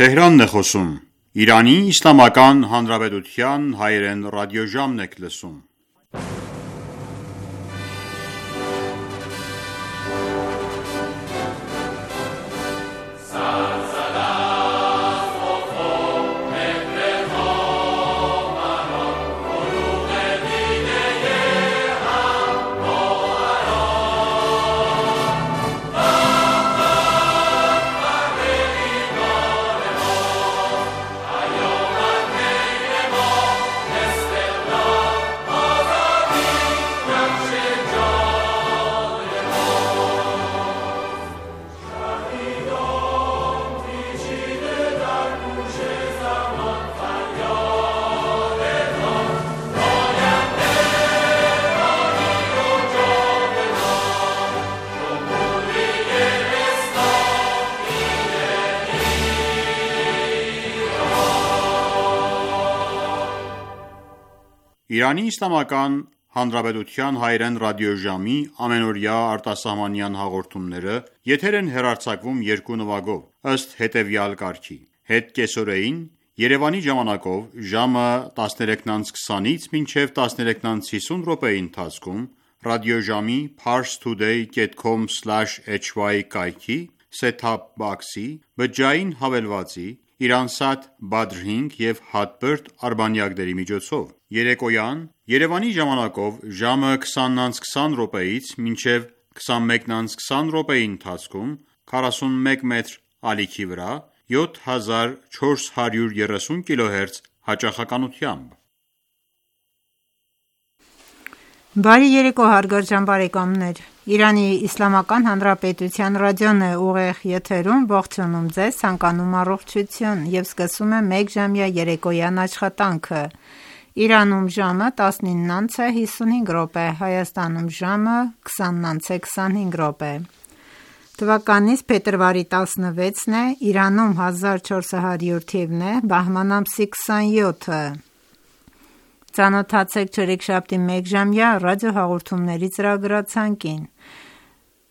Թեհրանն է խոսում։ Իրանի Իսլամական Հանրապետության հայերեն ռադիոժամն եք լսում։ Իրանի Իսլամական Հանրապետության հայերեն ռադիոժամի ամենօրյա արտասահմանյան հաղորդումները եթեր են հեռարձակվում երկու նվագով, ըստ հետևյալ կարգի. Հետ կեսօրեին Երևանի ժամանակով ժամը 13:20-ից մինչև 13:50 րոպեի ընթացքում ռադիոժամի parstoday.com/hy կայքի set-top box-ի բջջային հավելվածի Իրանսատ Badr 5 և Hotbird արբանյակների միջոցով։ Երեկոյան Երևանի ժամանակով ժամը 20:20 րոպեից մինչև 21:20 րոպեի ընթացքում 41 մետր ալիքի վրա 7430 kHz հաճախականությամբ։ Բարի երեկո հարգարժան բարեկամներ, Իրանի Իսլամական Հանրապետության ռադիոն է ուղիղ եթերում, ողջունում ձեզ, ցանկանում առողջություն և սկսում է մեկ ժամյա երեկոյան աշխատանքը։ Իրանում ժամը 19:55 րոպե, Հայաստանում ժամը 20:25 րոպե։ Թվականիս փետրվարի 16-ն է, Իրանում 1400 թիվն է, բահման ամսի 27-ը։ Ծանոթացեք չորեքշաբթի մեկ ժամյա ռադիոհաղորդումների ծրագրացանկին։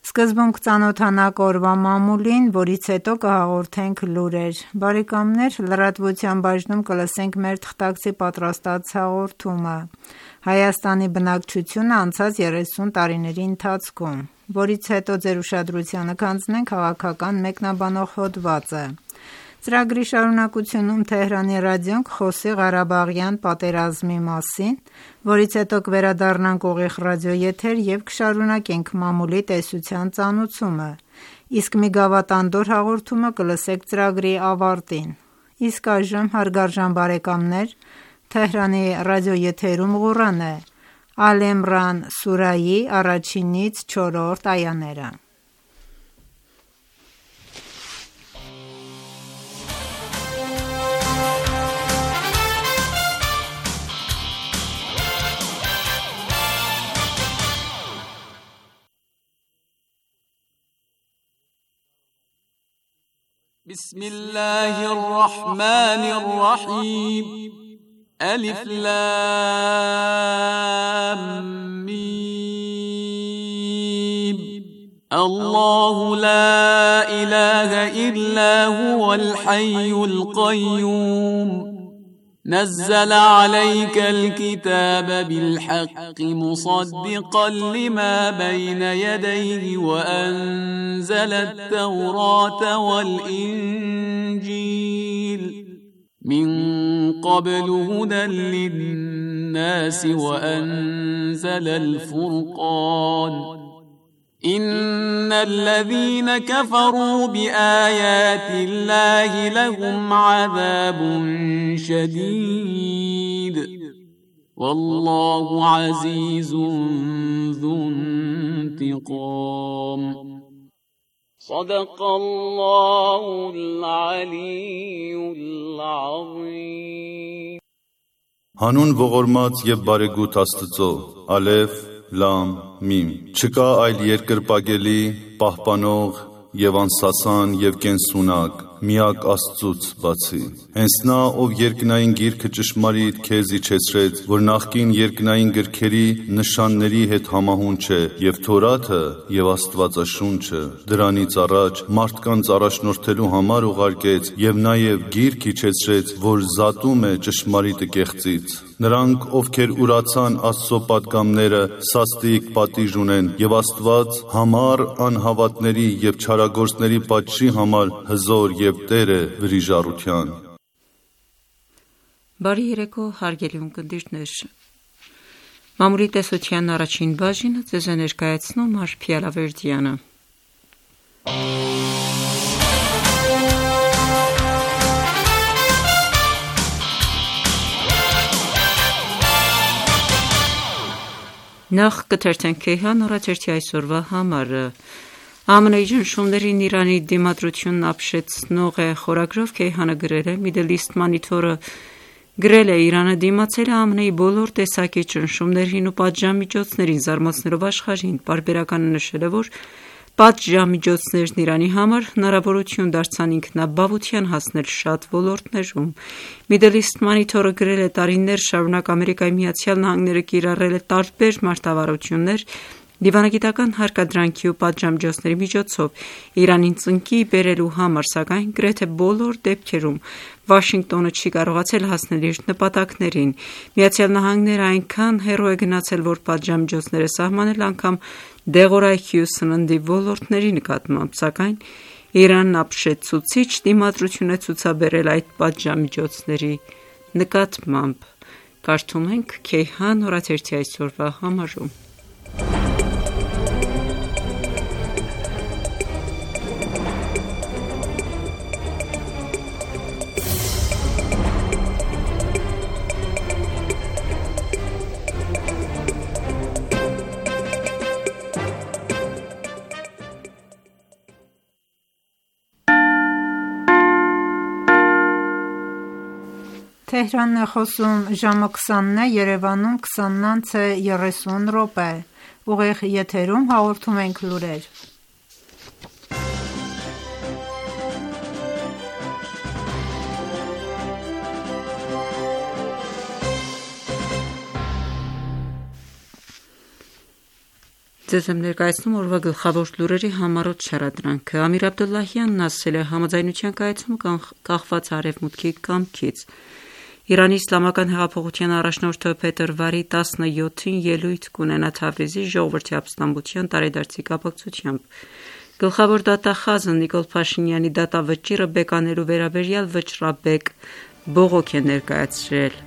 Սկզբում կծանոթանանք օրվա մամուլին, որից հետո կհաղորդենք լուրեր։ Բարեկամներ, լրատվության բաժնում կլսենք մեր թղթակցի պատրաստած հաղորդումը Հայաստանի բնակչությունը անցած 30 տարիների ընթացքում, որից հետո ձեր ուշադրությանը կհանձնենք քաղաքական մեկնաբանող հոդվածը։ Ծրագրի շարունակությունում Թեհրանի ռադիոն կխոսի Ղարաբաղյան պատերազմի մասին, որից հետո կվերադառնանք ուղիղ ռադիոեթեր և կշարունակենք մամուլի տեսության ծանուցումը, իսկ մի գավաթանդոր հաղորդումը կլսեք ծրագրի ավարտին։ Իսկ այժմ հարգարժան բարեկամներ, Թեհրանի ռադիոեթերում Ղուրան է, Ալ Իմրան սուրայի 1-ից 4-րդ այաները։ بسم الله الرحمن الرحيم ألف لام ميم الله لا إله إلا هو الحي القيوم نزل عليك الكتاب بالحق مصدقا لما بين يديه وأنزل التوراة والإنجيل من قبل هدى للناس وأنزل الفرقان إن الذين كفروا بآيات الله لهم عذاب شديد والله عزيز ذو انتقام صدق الله العلي العظيم Հանուն ողորմած և բարեգութ Աստծո, Ալեֆ, Լամ, Միմ։ Չկա այլ երկրպագելի, պահպանող և անսասան և կենսունակ, միակ Աստծուց բացի։ Հենց նա, ով երկնային գիրքը ճշմարիտ քեզ իջեցրեց, որ նախկին երկնային գրքերի նշանների հետ համահուն չէ, եւ Թորաթը եւ Աստվածաշունչը դրանից առաջ մարդկանց առաջնորդելու համար ուղարկեց եւ նաեւ գիրք իջեցրեց, որ զատում է ճշմարիտը կեղծից։ Նրանք, ովքեր ուրացան Աստծո պատգամները, սաստիկ պատիժ ունեն, եւ Աստված համառ անհավատների եւ չարագործների պատժի համար հզոր եւ Տեր է վրիժառության։ Բարի երեկո, հարգելի ունկնդիրներ։ Մամուլի տեսության առաջին բաժինը ձեզ է ներկայացնում Արփի Ալավերդյանը։ Նախ կթերթենք Քեյհան օրաթերթի այսօրվա համարը։ ԱՄՆ-ի ճնշումներին Իրանի դիմադրությունն ապշեցնող է խորագրով Քեյհանը գրել է. Middle East Monitor-ը գրել է Իրանը դիմացել է ԱՄՆ-ի բոլոր տեսակի ճնշումներին ու պատժամիջոցներին, զարմացնելով աշխարհին։ Պարբերականը նշել է, որ պատժամիջոցներն Իրանի համար հնարավորություն դարձան ինքնաբավության հասնել շատ ոլորտներում։ Middle East Monitor-ը գրել է տարիներ շարունակ Ամերիկայի Միացյալ Նահանգները կիրառել է տարբեր մարտավարություններ դիվանագիտական հարկադրանքի ու պատժամիջոցների միջոցով Իրանին ծնկի բերելու համար, սակայն գրեթե բոլոր դեպքերում Վաշինգտոնը չի կարողացել հասնել իր նպատակներին։ Միացյալ Նահանգները այնքան հեռու է գնացել, որ պատժամիջոցները սահմանել անգամ դեղորայքի ու սննդի ոլորտների նկատմամբ, սակայն Իրանն ապշեցուցիչ դիմադրություն է ցուցաբերել այդ պատժամիջոցների նկատմամբ։ Կարդում ենք Քեյհան օրաթերթի այսօրվա համարում։ Թեհրանն է խոսում, ժամը 20-ն է, Երևանում 20:30 Ուղիղ եթերում հաղորդում ենք լուրեր։ Ձեզ եմ ներկայացնում օրվա գլխավոր լուրերի համառոտ շարադրանքը։ Ամիր Աբդոլլահյանն ասել է, համաձայնության կայացումը կախված Արևմուտքի կամքից։ Իրանի Իսլամական հեղափոխության առաջնորդը փետրվարի 17-ին ելույթ կունենա Թավրիզի ժողովրդի ապստամբության տարեդարձի կապակցությամբ։ Գլխավոր դատախազը Նիկոլ Փաշինյանի դատավճիռը բեկանելու վերաբերյալ վճռաբեկ բողոք է ներկայացրել։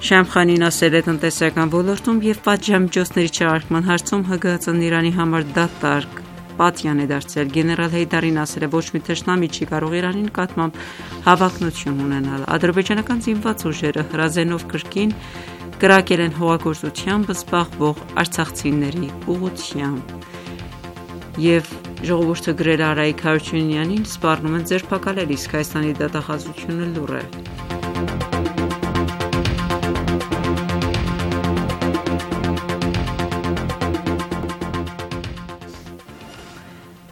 Շամխանին ասել է, տնտեսական ոլորտում եւ պատժամիջոցների չեղարկման հարցում ՀԳՀԾ-ն Իրանի համար դատարկ պատյան է դարձել։ Գեներալ Հեյդարին ասել է, ոչ մի թշնամի չի կարող Իրանի նկատմամբ հավակնություն ունենալ։ Ադրբեջանական զինված ուժերը հրազենով կրկին կրակել են հողագործությամբ զբաղվող արցախցիների ուղղությամբ։ Եվ ժողովուրդը գրել է Արայիկ Հարությունյանին, սպառնում են ձերբակալել, իսկ Հայաստանի դատախազությունը լուռ է։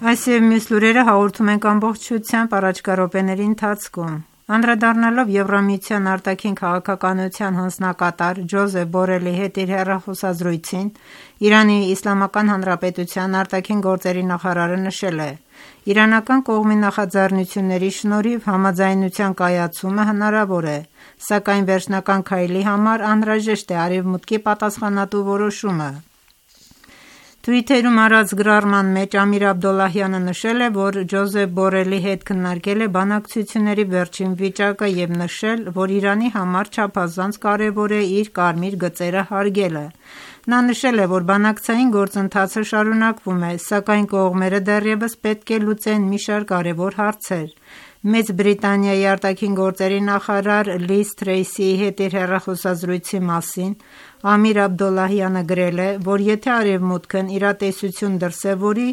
Այս և մյուս լուրերը հաղորդում ենք ամբողջությամբ առաջկա րոպեների ընթացքում։ Անդրադառնալով Եվրամիության արտաքին քաղաքականության հանձնակատար Ջոզեփ Բորելի հետ իր հեռախոսազրույցին, Իրանի Իսլամական Հանրապետության արտաքին գործերի նախարարը նշել է. «Իրանական կողմի նախաձեռնությունների շնորհիվ համաձայնության կայացումը հնարավոր է, սակայն վերջնական քայլի համար անհրաժեշտ է Արևմուտքի պատասխանատու որոշումը»։ Թվիթերում արած գրառման մեջ Ամիր Աբդոլլահյանը նշել է, որ Ջոզեփ Բորելի հետ քննարկել է բանակցությունների վերջին վիճակը և նշել, որ Իրանի համար չափազանց կարևոր է իր կարմիր գծերը հարգելը։ Նա նշել է, որ բանակցային գործընթացը շարունակվում է, սակայն կողմերը դեռևս պետք է լուծեն մի շարք կարևոր հարցեր։ Մեծ Բրիտանիայի արտաքին գործերի նախարար Լիզ Թրեյսիի հետ իր հեռախոսազրույցի մասին Ամիր Աբդոլլահյանը գրել է, որ եթե Արևմուտքն իրատեսություն դրսևորի,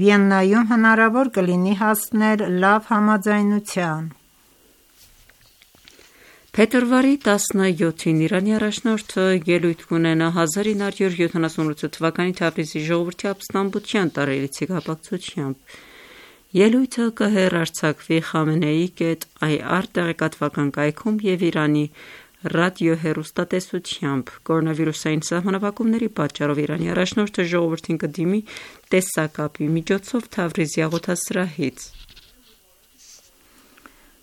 Վիեննայում հնարավոր կլինի հասնել լավ համաձայնության։ Փետրվարի 17-ին Իրանի առաջնորդը ելույթ կունենա 1978 թվականի Թավրիզի ժողովրդի ապստամբության տարելիցի կապակցությամբ։ Ելույթը կհեռարձակվի Խամենեի.ir տեղեկատվական կայքում և Իրանի ռադիոհեռուստատեսությամբ։ Կորոնավիրուսային սահմանափակումների պատճառով Իրանի առաջնորդը ժողովրդին կդիմի տեսակապի միջոցով Թավրիզի աղոթասրահից։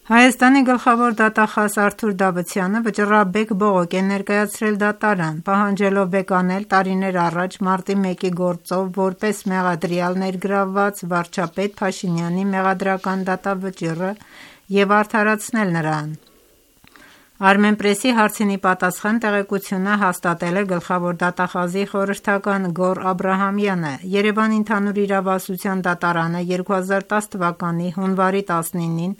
Հայաստանի գլխավոր դատախազ Արթուր Դավթյանը վճռաբեկ բողոք է ներկայացրել դատարան, պահանջելով բեկանել տարիներ առաջ մարտի 1-ի գործով որպես մեղադրյալ ներգրավված վարչապետ Փաշինյանի մեղադրական դատավճիռը և արդարացնել նրան։ Armenpress-ի հարցինի պատասխան տեղեկությունը հաստատել է գլխավոր դատախազի խորհրդական Գոռ Աբրահամյանը։ Երևանի ընդհանուր իրավասության դատարանը 2010 թվականի հունվարի 19-ին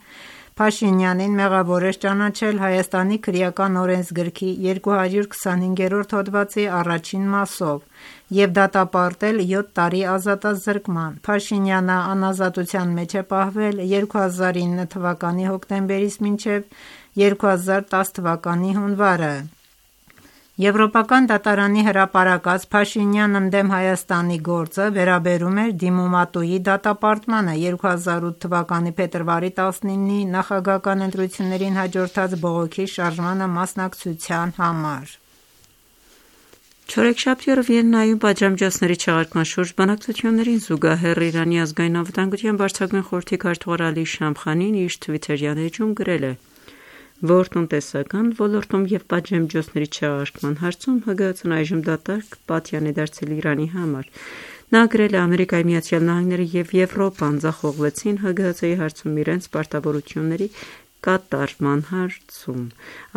Փաշինյանին մեղավոր էր ճանաչել Հայաստանի քրեական օրենսգրքի 225-րդ հոդվածի առաջին մասով և դատապարտել 7 տարի ազատազրկման։ Փաշինյանը անազատության մեջ է պահվել 2009 թվականի հոկտեմբերից մինչև 2010 թվականի հունվարը։ Եվրոպական դատարանի հրապարակած Փաշինյան ընդդեմ Հայաստանի գործը վերաբերում էր դիմումատուի դատապարտմանը 2008 թվականի փետրվարի 19-ի նախագահական ընտրություններին հաջորդած բողոքի շարժմանը մասնակցության համար։ Չորեքշաբթի օրը Վիեննայում պատժամիջոցների չեղարկման շուրջ բանակցություններին զուգահեռ Իրանի ազգային անվտանգության բարձրագույն խորհրդի քարտուղար Ալի Շամխանին իր թվիթերյան էջում գրել է, որ տնտեսական ոլորտում և պատժամիջոցների չեղարկման հարցում ՀԳՀԾ-ն այժմ դատարկ պատյան է դարձել Իրանի համար։ Նա գրել է Ամերիկայի Միացյալ Նահանգները և Եվրոպան ձախողվեցին ՀԳՀԾ-ի հարցում իրենց պարտավորությունների կատարման հարցում։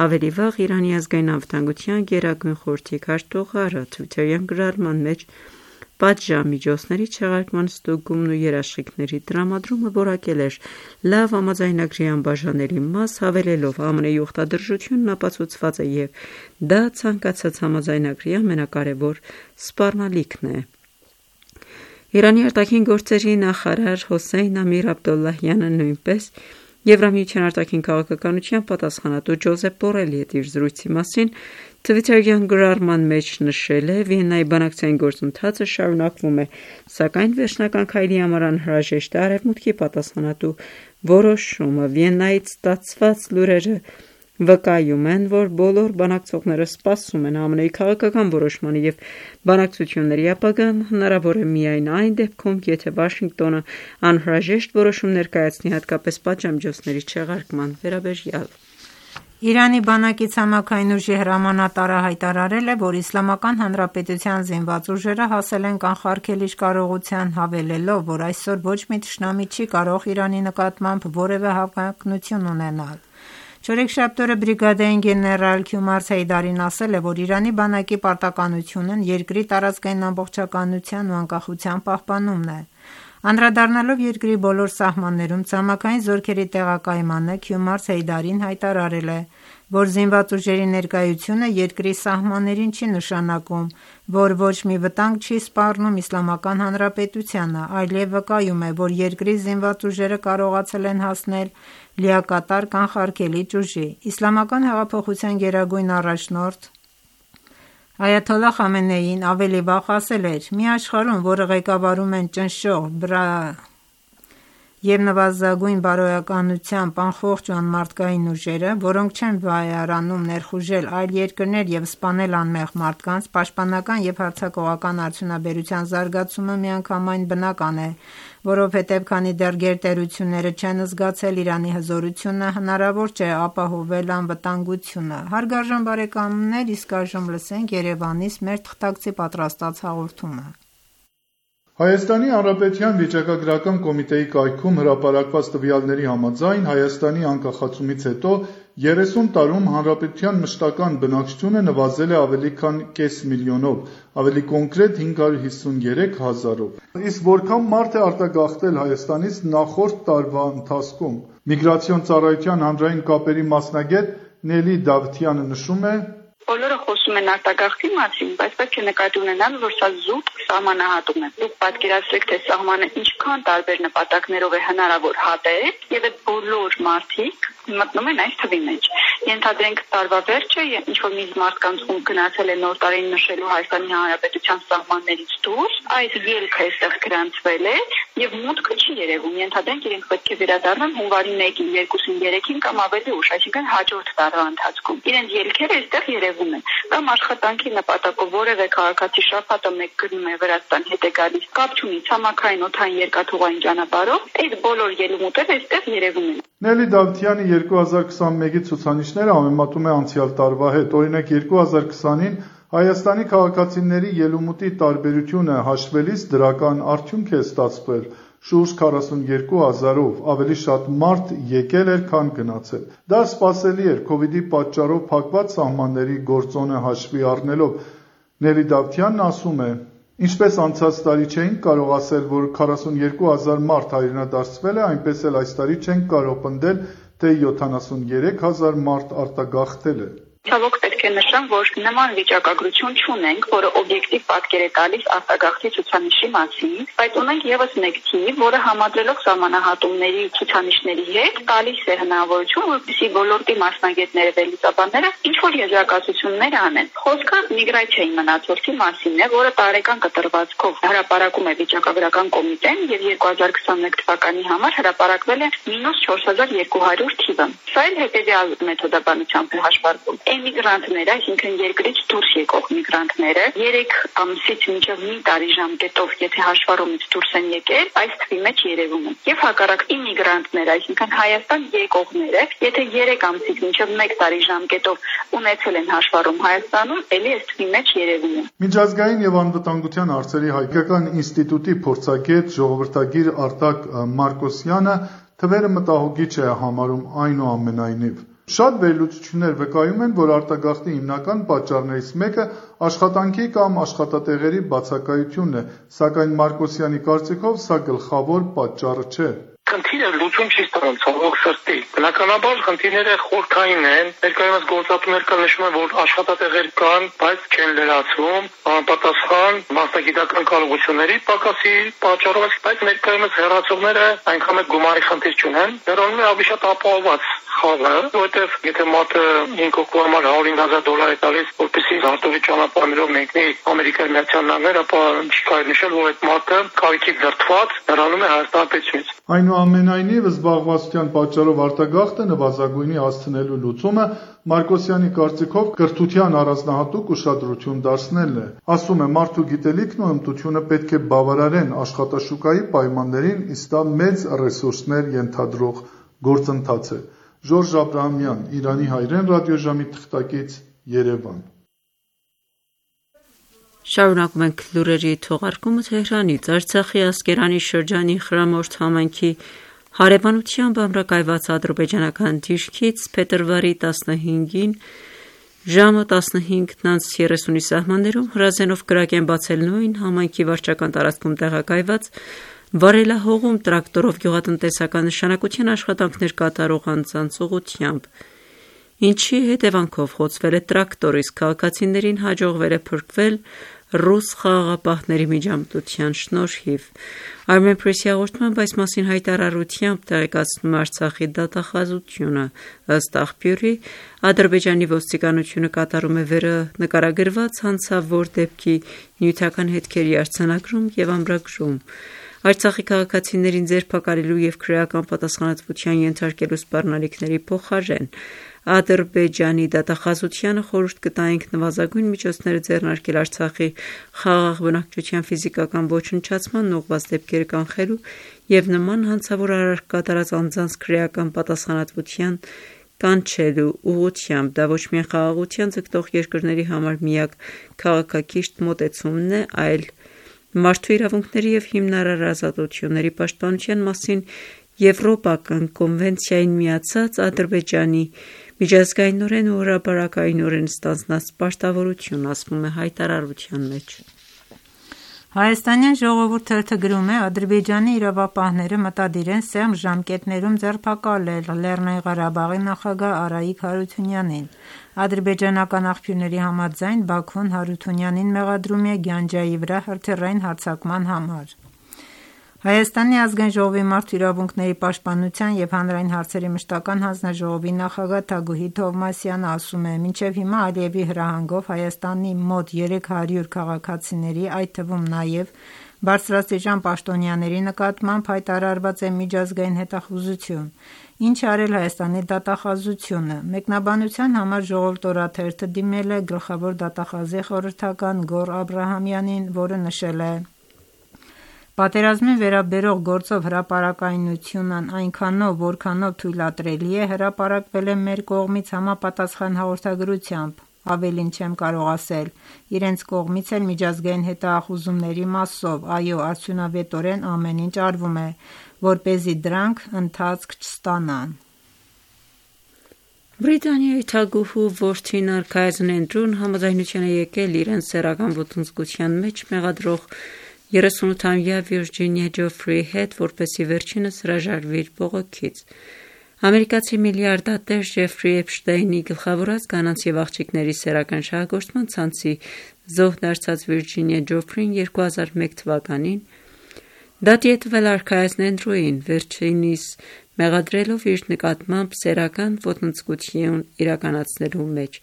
Ավելի վաղ Իրանի ազգային անվտանգության գերագույն խորհրդի քարտուղարը թվիթերյան գրառման մեջ պատժամիջոցների չեղարկման ստուգումն ու երաշխիքների տրամադրումը որակել էր լավ համաձայնագրի անբաժանելի մաս, հավելելով ԱՄՆ-ի ուխտադրժությունն ապացուցված է և դա ցանկացած համաձայնագրի ամենակարևոր սպառնալիքն է։ Իրանի արտաքին գործերի նախարար Հոսեյն Ամիր Աբդոլլահյանը նույնպես Եվրամիության արտաքին քաղաքականության պատասխանատու Ջոզեփ Բորելի հետ իր զրույցի մասին թվիթերյան գրառման մեջ նշել է. Վիեննայի բանակցային գործընթացը շարունակվում է, սակայն վերջնական քայլի համար անհրաժեշտ է Արևմուտքի պատասխանատու որոշումը։ Վիեննայից ստացված լուրերը վկայում են, որ բոլոր բանակցողները սպասում են ԱՄՆ-ի քաղաքական որոշմանը և բանակցությունների ապագան հնարավոր է միայն այն դեպքում, եթե Վաշինգտոնը անհրաժեշտ որոշում ներկայացնի հատկապես պատժամիջոցների չեղարկման վերաբերյալ։ Իրանի բանակի ցամաքային ուժի հրամանատարը հայտարարել է, որ Իսլամական Հանրապետության զինված ուժերը հասել են կանխարգելիչ կարողության, հավելելով, որ այսօր ոչ մի թշնամի չի կարող Իրանի նկատմամբ որևէ հավակնություն ունենալ։ Չորեքշաբթի օրը բրիգադային գեներալ Քյումար Հեյդարին ասել է, որ Իրանի բանակի պարտականությունն երկրի տարածքային ամբողջականության ու անկախության պահպանումն է։ Անդրադառնալով երկրի բոլոր սահմաններում ցամաքային զորքերի տեղակայմանը, Քյումար Հեյդարին հայտարարել է, որ զինված ուժերի ներկայությունը երկրի սահմաններին չի նշանակում, որ ոչ մի վտանգ չի սպառնում Իսլամական Հանրապետությանը, այլև վկայում է, որ երկրի զինված ուժերը կարողացել են հասնել լիակատար կանխարգելիչ ուժի։ Իսլամական հեղափոխության գերագույն առաջնորդ Այաթոլլահ Խամենեին ավելի վաղ ասել էր. «Մի աշխարհում, որը ղեկավարում են ճնշող և նվազագույն բարոյականությամբ անխողջ ու անմարդկային ուժերը, որոնք չեն վայարանում ներխուժել այլ երկրներ և սպանել անմեղ մարդկանց, պաշտպանական և հարձակողական արդյունաբերության զարգացումը միանգամայն բնական է, որովհետև քանի դեռ գերտերությունները չեն զգացել Իրանի հզորությունը, հնարավոր չէ ապահովել անվտանգությունը»։ Հարգարժան բարեկամներ, իսկ այժմ լսենք Երևանից մեր թղթակցի պատրաստած հաղորդումը։ Հայաստանի Հանրապետության վիճակագրական կոմիտեի կայքում հրապարակված տվյալների համաձայն Հայաստանի անկախացումից հետո 30 տարում հանրապետության մշտական բնակչությունը նվազել է ավելի քան կես միլիոնով, ավելի կոնկրետ 553 հազարով։ Իսկ որքան մարդ է արտագաղթել Հայաստանից նախորդ տարվա ընթացքում։ Միգրացիոն ծառայության հանրային կապերի մասնագետ Նելի Դավթյանը նշում է. Բոլորը խոսում են արտագաղթի մասին, բայց պետք է նկատի ունենալ, որ սա զուտ սահմանահատում է։ Դուք պատկերացրեք, թե սահմանը ինչքան տարբեր նպատակներով է հնարավոր հատել, եւ այդ բոլոր մարդիկ մտնում են այս թվի մեջ։ Ենթադրենք տարվա վերջը, ինչ-որ մի մարդկանց ում գնացել է նոր տարին նշելու Հայաստանի Հանրապետության սահմաններից դուրս, այս ելքը այստեղ գրանցվել է եւ մուտքը չի երևում։ Ենթադրենք իրենք պետք է վերադառնան հունվարի 1-ին, 2-ին, 3-ին կամ ավելի ուշ, այսինքն հաջորդ տարվա ընթացքում։ Իրենց ելքերը այստեղ երևում են։ Կամ աշխատանքի նպատակով որևէ քաղաքացի շաբաթը մեկ գնում է Վրաստան, հետ է գալիս, կապ չունի ցամաքային, օդային, երկաթուղային ճանապարհով, այդ բոլոր ելումուտերը այստեղ երևում են։ Նելի Դավթյանի 2021-ի ցուցանիշները համեմատում է անցյալ տարվա հետ։ Օրինակ 2020-ին Հայաստանի քաղաքացիների ելումուտի տարբերությունը հաշվելիս դրական արդյունք է ստացվել։ Շուրջ 42,000-ով ավելի շատ մարդ եկել էր, քան գնացել։ Դա սպասելի էր COVID-ի պատճառով փակված սահմանների գործոնը հաշվի առնելով։ Նելի Դավթյանն ասում է. Ինչպես անցած տարի չէինք կարող ասել, որ 42,000 մարդ հայրենադարձվել է, այնպես էլ այս տարի չենք կարող պնդել, թե 73,000 մարդ արտագաղթել է։ Ցավոք պետք է նշեմ, որ նման վիճակագրություն չունենք, որը օբյեկտիվ պատկեր է տալիս արտագաղթի ցուցանիշի մասին, բայց ունենք եւս մեկ թիվ, որը համադրելով սահմանահատումների ցուցանիշների հետ տալիս է հնարավորություն, որպեսզի ոլորտի մասնագետները վերլուծաբանները ինչ-որ եզրակացություններ անեն։ Խոսքը միգրացիայի մնացորդի մասին է, որը տարեկան կտրվածքով հրապարակում է վիճակագրական կոմիտեն եւ 2021 թվականի համար հրապարակվել է -4200 թիվը։ Սա էլ հետեւյալ մեթոդաբանությամբ է հաշվարկվում։ Էմիգրանտները, այսինքն երկրից դուրս եկող միգրանտները 3 ամսից մինչև մի տարի ժամկետով, եթե հաշվառումից դուրս են եկել, այս թվի մեջ երևում են։ Եվ հակառակ իմիգրանտները, այսինքն Հայաստան եկողները, եթե 3 ամսից մինչև 1 տարի ժամկետով ունեցել են հաշվառում Հայաստանում, ելի այս թվի մեջ երևում են։ Միջազգային եւ անվտանգության հարցերի հայկական ինստիտուտի փորձագետ ժողովրդագիր Արտակ Մարկոսյանը թվերը մտահոգիչ է համարում այնուամենայնիվ։ Շատ վերլուծություններ վկայում են, որ արտագաղթի հիմնական պատճառներից մեկը աշխատանքի կամ աշխատատեղերի բացակայությունն է, սակայն Մարկոսյանի կարծիքով սա գլխավոր պատճառը չէ։ Խնդիրը լուծում չի ստանում ցավոք սրտի։ Բնականաբար խնդիրները խորքային են։ Ներկայումս գործատուներ կան նշում են, որ աշխատատեղեր կան, բայց չեն լրացվում, անպատասխան մասնագիտական կարողությունների պակասի պատճառով, բայց ներկայումս հեռացողները այնքան էլ գումարի խնդիր չունեն։ Դրանով է ավելի շատ ապահովված խաղը, որովհետև եթե մատը 5 օկտոբր համար $150,000 է տալիս, որպեսզի զարտովի ճանապարհներով մեկնի Ամերիկայի Միացյալ Նահանգներ, ապա չի կարելի նշել, որ այդ մատը կարիքից դրդված հեռանում է Հայաստան պետությունից։ Այնուամենայնիվ, զբաղվածության պատճառով արտագաղթը նվազագույնի հասցնելու լուծումը Մարկոսյանի կարծիքով կրթության առանձնահատուկ ուշադրություն դարձնելն է։ Ասում է, մարդու գիտելիքն ու հմտությունը պետք է բավարարեն աշխատաշուկայի պայմաններին, իսկ դա մեծ ռեսուրսներ ենթադրող գործընթաց է։ Ժորժ Աբրահամյան, Իրանի հայրեն ռադիոժամի թղթակից, Երևան։ Շարունակում ենք լուրերի թողարկումը Թեհրանից։ Արցախի Ասկերանի շրջանի Խրամորդ համայնքի հարևանությամբ ամրակայված ադրբեջանական դիրքից փետրվարի 15-ին ժամը 15:30-ի սահմաններում հրազենով կրակ են բացել նույն համայնքի վարչական տարածքում տեղակայված վարելահողում տրակտորով գյուղատնտեսական նշանակության աշխատանքներ կատարող անձանց ուղղությամբ, ինչի հետևանքով խոցվել է տրակտոր, իսկ քաղաքացիներին հաջողվել է փրկվել ռուս խաղաղապահների միջամտության շնորհիվ։ Armenpress-ի հաղորդմամբ այս մասին հայտարարությամբ տեղեկացնում է Արցախի դատախազությունը։ Ըստ աղբյուրի, Ադրբեջանի ոստիկանությունը կատարում է վերը նկարագրված հանցավոր դեպքի նյութական հետքերի արձանագրում եւ ամրագրում։ Արցախի քաղաքացիներին ձերբակալելու եւ քրեական պատասխանատվության ենթարկելու սպառնալիքների փոխարեն Ադրբեջանի դատախազությանը խորհուրդ կտայինք նվազագույն միջոցները ձեռնարկել Արցախի խաղաղ բնակչության ֆիզիկական ոչնչացման ուղղված դեպքերը կանխելու եւ նման հանցավոր արարք կատարած անձանց քրեական պատասխանատվության կանչելու ուղղությամբ։ Դա ոչ միայն խաղաղության ձգտող երկրների համար միակ քաղաքակիրթ մոտեցումն է, այլ մարդու իրավունքների եւ հիմնարար ազատությունների պաշտպանության մասին Եվրոպական կոնվենցիային միացած Ադրբեջանի միջազգայինորեն ու հրապարակայինորեն ստանձնած պարտավորություն, ասվում է հայտարարության մեջ։ Հայաստանյան ժողովուրդ թերթը գրում է. Ադրբեջանի իրավապահները մտադիր են սեղմ ժամկետներում ձերբակալել Լեռնային Ղարաբաղի նախագահ Արայիկ Հարությունյանին։ Ադրբեջանական աղբյուրների համաձայն Բաքուն Հարությունյանին մեղադրում է Գյանջայի վրա հրթիռային հարձակման համար։ Հայաստանի ազգային ժողովի մարդու իրավունքների պաշտպանության և հանրային հարցերի մշտական հանձնաժողովի նախագահ Թագուհի Թովմասյանը ասում է. մինչև հիմա Ալիևի հրահանգով Հայաստանի մոտ 300 քաղաքացիների, այդ թվում նաև բարձրաստիճան պաշտոնյաների նկատմամբ հայտարարված է միջազգային հետախուզություն, ինչ արել Հայաստանի դատախազությունը։ Մեկնաբանության համար Ժողովուրդ օրաթերթը դիմել է գլխավոր դատախազի խորհրդական Գոռ Աբրահամյանին, որը նշել է. Պատերազմին վերաբերող գործով հրապարակայնությունն այնքանով, որքանով թույլատրելի է, հրապարակվել է մեր կողմից համապատասխան հաղորդագրությամբ, ավելին չեմ կարող ասել, իրենց կողմից էլ միջազգային հետախուզումների մասով, այո, արդյունավետորեն ամեն ինչ արվում է, որպեսզի դրանք ընթացք չստանան։ Բրիտանիայի թագուհու որդին արքայազն Էնդրուն համաձայնության է եկել իրենց սեռական ոտնձգության մեջ մեղադրող 38-ամյա Վիրջինիա Ջոֆրիի հետ, որպեսզի վերջինս հրաժարվի իր բողոքից։ Ամերիկացի միլիարդատեր Ջեֆրի Էփշտեյնի գլխավորած կանանց և աղջիկների սեռական շահագործման ցանցի զոհ դարձած Վիրջինիա Ջոֆրին 2001 թվականին դատի է տվել արքայազն Էնդրուին, վերջինիս մեղադրելով իր նկատմամբ սեռական ոտնձգություն իրականացնելու մեջ։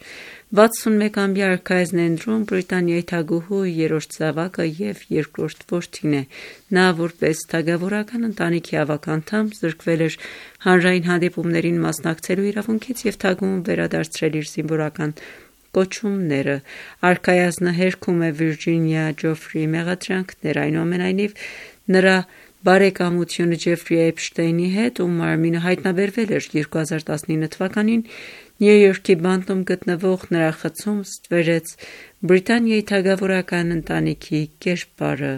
61-ամյա արքայազն Էնդրուն Բրիտանիայի թագուհու երրորդ զավակը և երկրորդ որդին է։ Նա որպես թագավորական ընտանիքի ավագ անդամ զրկվել էր հանրային հանդիպումներին մասնակցելու իրավունքից և թագուհուն վերադարձրել իր զինվորական կոչումները։ Արքայազնը հերքում է Վիրջինիա Ջոֆրիի մեղադրանքները, այնուամենայնիվ նրա բարեկամությունը Ջեֆրի Էփշտեյնի հետ, ում մարմինը հայտնաբերվել էր 2019 թվականին Նյու Յորքի բանտում գտնվող նրա խցում, ստվերեց Բրիտանիայի թագավորական ընտանիքի կերպարը։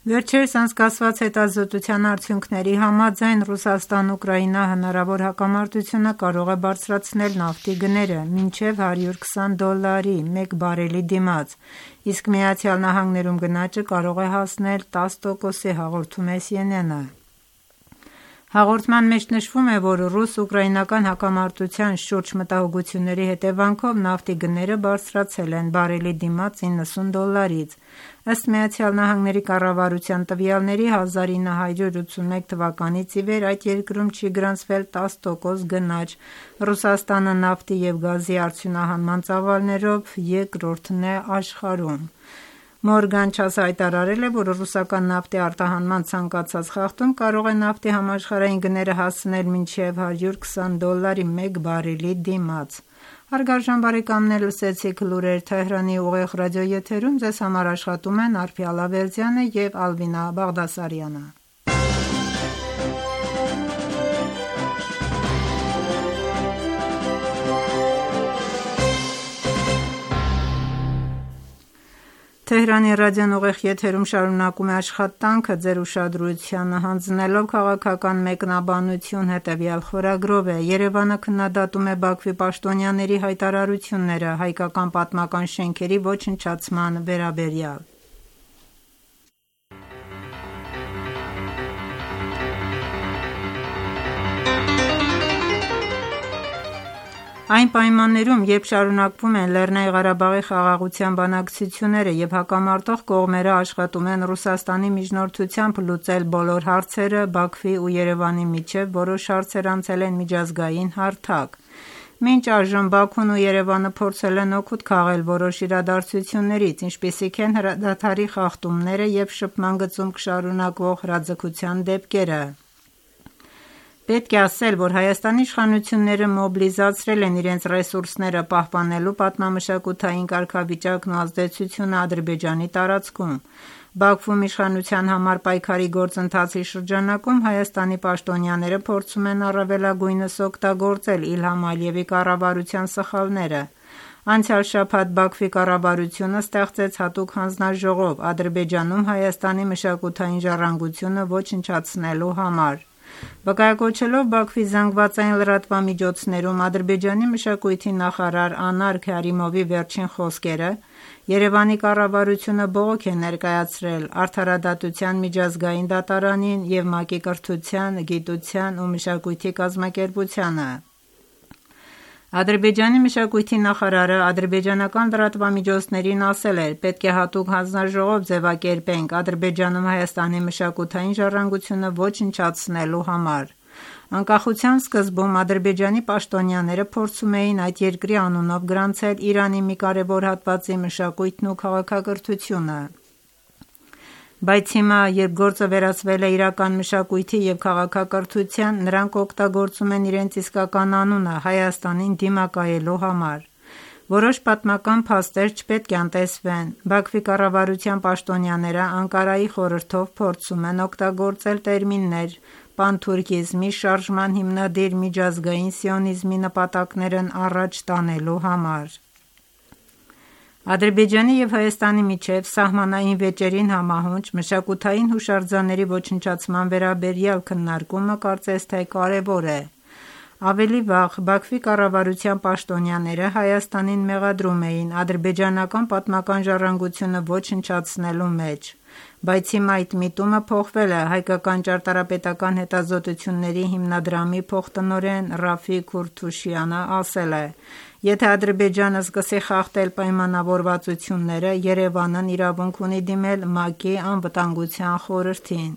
Վերջերս անցկացված հետազոտության արդյունքների համաձայն Ռուսաստան-Ուկրաինա հնարավոր հակամարտությունը կարող է բարձրացնել նավթի գները մինչև $120 մեկ բարելի դիմաց, իսկ ԱՄՆ-ում գնաճը կարող է հասնել 10%-ի, հաղորդում է CNN-ը։ Հաղորդման մեջ նշվում է, որ ռուս-ուկրաինական հակամարտության շուրջ մտահոգությունների հետևանքով նավթի գները բարձրացել են բարելի դիմաց $90-ից։ Ըստ ԱՄՆ կառավարության տվյալների 1981 թվականից ի վեր այդ երկրում չի գրանցվել 10% գնաճ։ Ռուսաստանը նավթի և գազի արդյունահանման ծավալներով երկրորդն է աշխարհում։ Մորգան Չասը հայտարարել է, որ ռուսական նավթի արտահանման ցանկացած խախտում կարող է նավթի համաշխարհային գները հասցնել մինչև $120 մեկ բարելի դիմաց։ Հարգարժան բարեկամներ, լսեցիք լուրեր Թեհրանի ուղիղ ռադիոեթերում, ձեզ համար աշխատում են Արփիա Լավերդյանը և Ալվինա Բաղդասարյանը։ Թեհրանի ռադիոն ուղիղ եթերում շարունակում է աշխատանքը, ձեր ուշադրությանը հանձնելով քաղաքական մեկնաբանություն հետևյալ խորագրով է. Երևանը քննադատում է Բաքվի պաշտոնյաների հայտարարությունները հայկական պատմական շենքերի ոչնչացման վերաբերյալ։ Այն պայմաններում, երբ շարունակվում են Լեռնային Ղարաբաղի խաղաղության բանակցությունները և հակամարտող կողմերը աշխատում են Ռուսաստանի միջնորդությամբ լուծել բոլոր հարցերը, Բաքվի ու Երևանի միջև որոշ հարցեր անցել են միջազգային հարթակ։ Մինչ այժմ Բաքուն ու Երևանը փորձել են օգուտ քաղել որոշ իրադարձություններից, ինչպիսիք են հրադադարի խախտումները և շփման գծում շարունակվող հրաձգության դեպքերը։ Պետք է ասել, որ Հայաստանի իշխանությունները մոբիլիզացրել են իրենց ռեսուրսները պահպանելու պատմամշակութային կարգավիճակն ու ազդեցությունը Ադրբեջանի տարածքում։ Բաքվում իշխանության համար պայքարի գործընթացի շրջանակում Հայաստանի պաշտոնյաները փորձում են առավելագույնս օգտագործել Իլհամ Ալիևի կառավարության սխալները։ Անցյալ շաբաթ Բաքվի կառավարությունը ստեղծեց հատուկ հանձնաժողով Ադրբեջանում Հայաստանի մշակութային ժառանգությունը ոչնչացնելու համար։ Վկայակոչելով Բաքվի զանգվածային լրատվամիջոցներում Ադրբեջանի մշակույթի նախարար Անար Քարիմովի վերջին խոսքերը, Երևանի կառավարությունը բողոք է ներկայացրել Արդարադատության միջազգային դատարանին և ՄԱԿ-ի կրթության, գիտության ու մշակույթի կազմակերպությանը։ Ադրբեջանի մշակույթի նախարարը ադրբեջանական լրատվամիջոցներին ասել էր. «Պետք է հատուկ հանձնաժողով ձևակերպենք Ադրբեջանում Հայաստանի մշակութային ժառանգությունը ոչնչացնելու համար»։ Անկախության սկզբում Ադրբեջանի պաշտոնյաները փորձում էին այդ երկրի անունով գրանցել Իրանի մի կարևոր հատվածի մշակույթն ու քաղաքակրթությունը։ Բայց հիմա, երբ գործը վերածվել է իրական մշակույթի և քաղաքակրթության, նրանք օգտագործում են իրենց իսկական անունը Հայաստանին դիմակայելու համար։ Որոշ պատմական փաստեր չպետք է անտեսվեն։ Բաքվի կառավարության պաշտոնյաները Անկարայի խորհրդով փորձում են օգտագործել տերմիններ պանթուրքիզմի շարժման հիմնադիր միջազգային սիոնիզմի նպատակներն առաջ տանելու համար։ Ադրբեջանի և Հայաստանի միջև սահմանային վեճերին համահունչ մշակութային հուշարձանների ոչնչացման վերաբերյալ քննարկումը կարծես թե կարևոր է։ Ավելի վաղ Բաքվի կառավարության պաշտոնյաները Հայաստանին մեղադրում էին ադրբեջանական պատմական ժառանգությունը ոչնչացնելու մեջ, բայց հիմա այդ միտումը փոխվել է։ Հայկական ճարտարապետական հետազոտությունների հիմնադրամի փոխտնօրեն Ռաֆիկ Քուրթուշյանը ասել է. «Եթե Ադրբեջանը սկսի խախտել պայմանավորվածությունները, Երևանն իրավունք ունի դիմել ՄԱԿ-ի Անվտանգության խորհրդին»։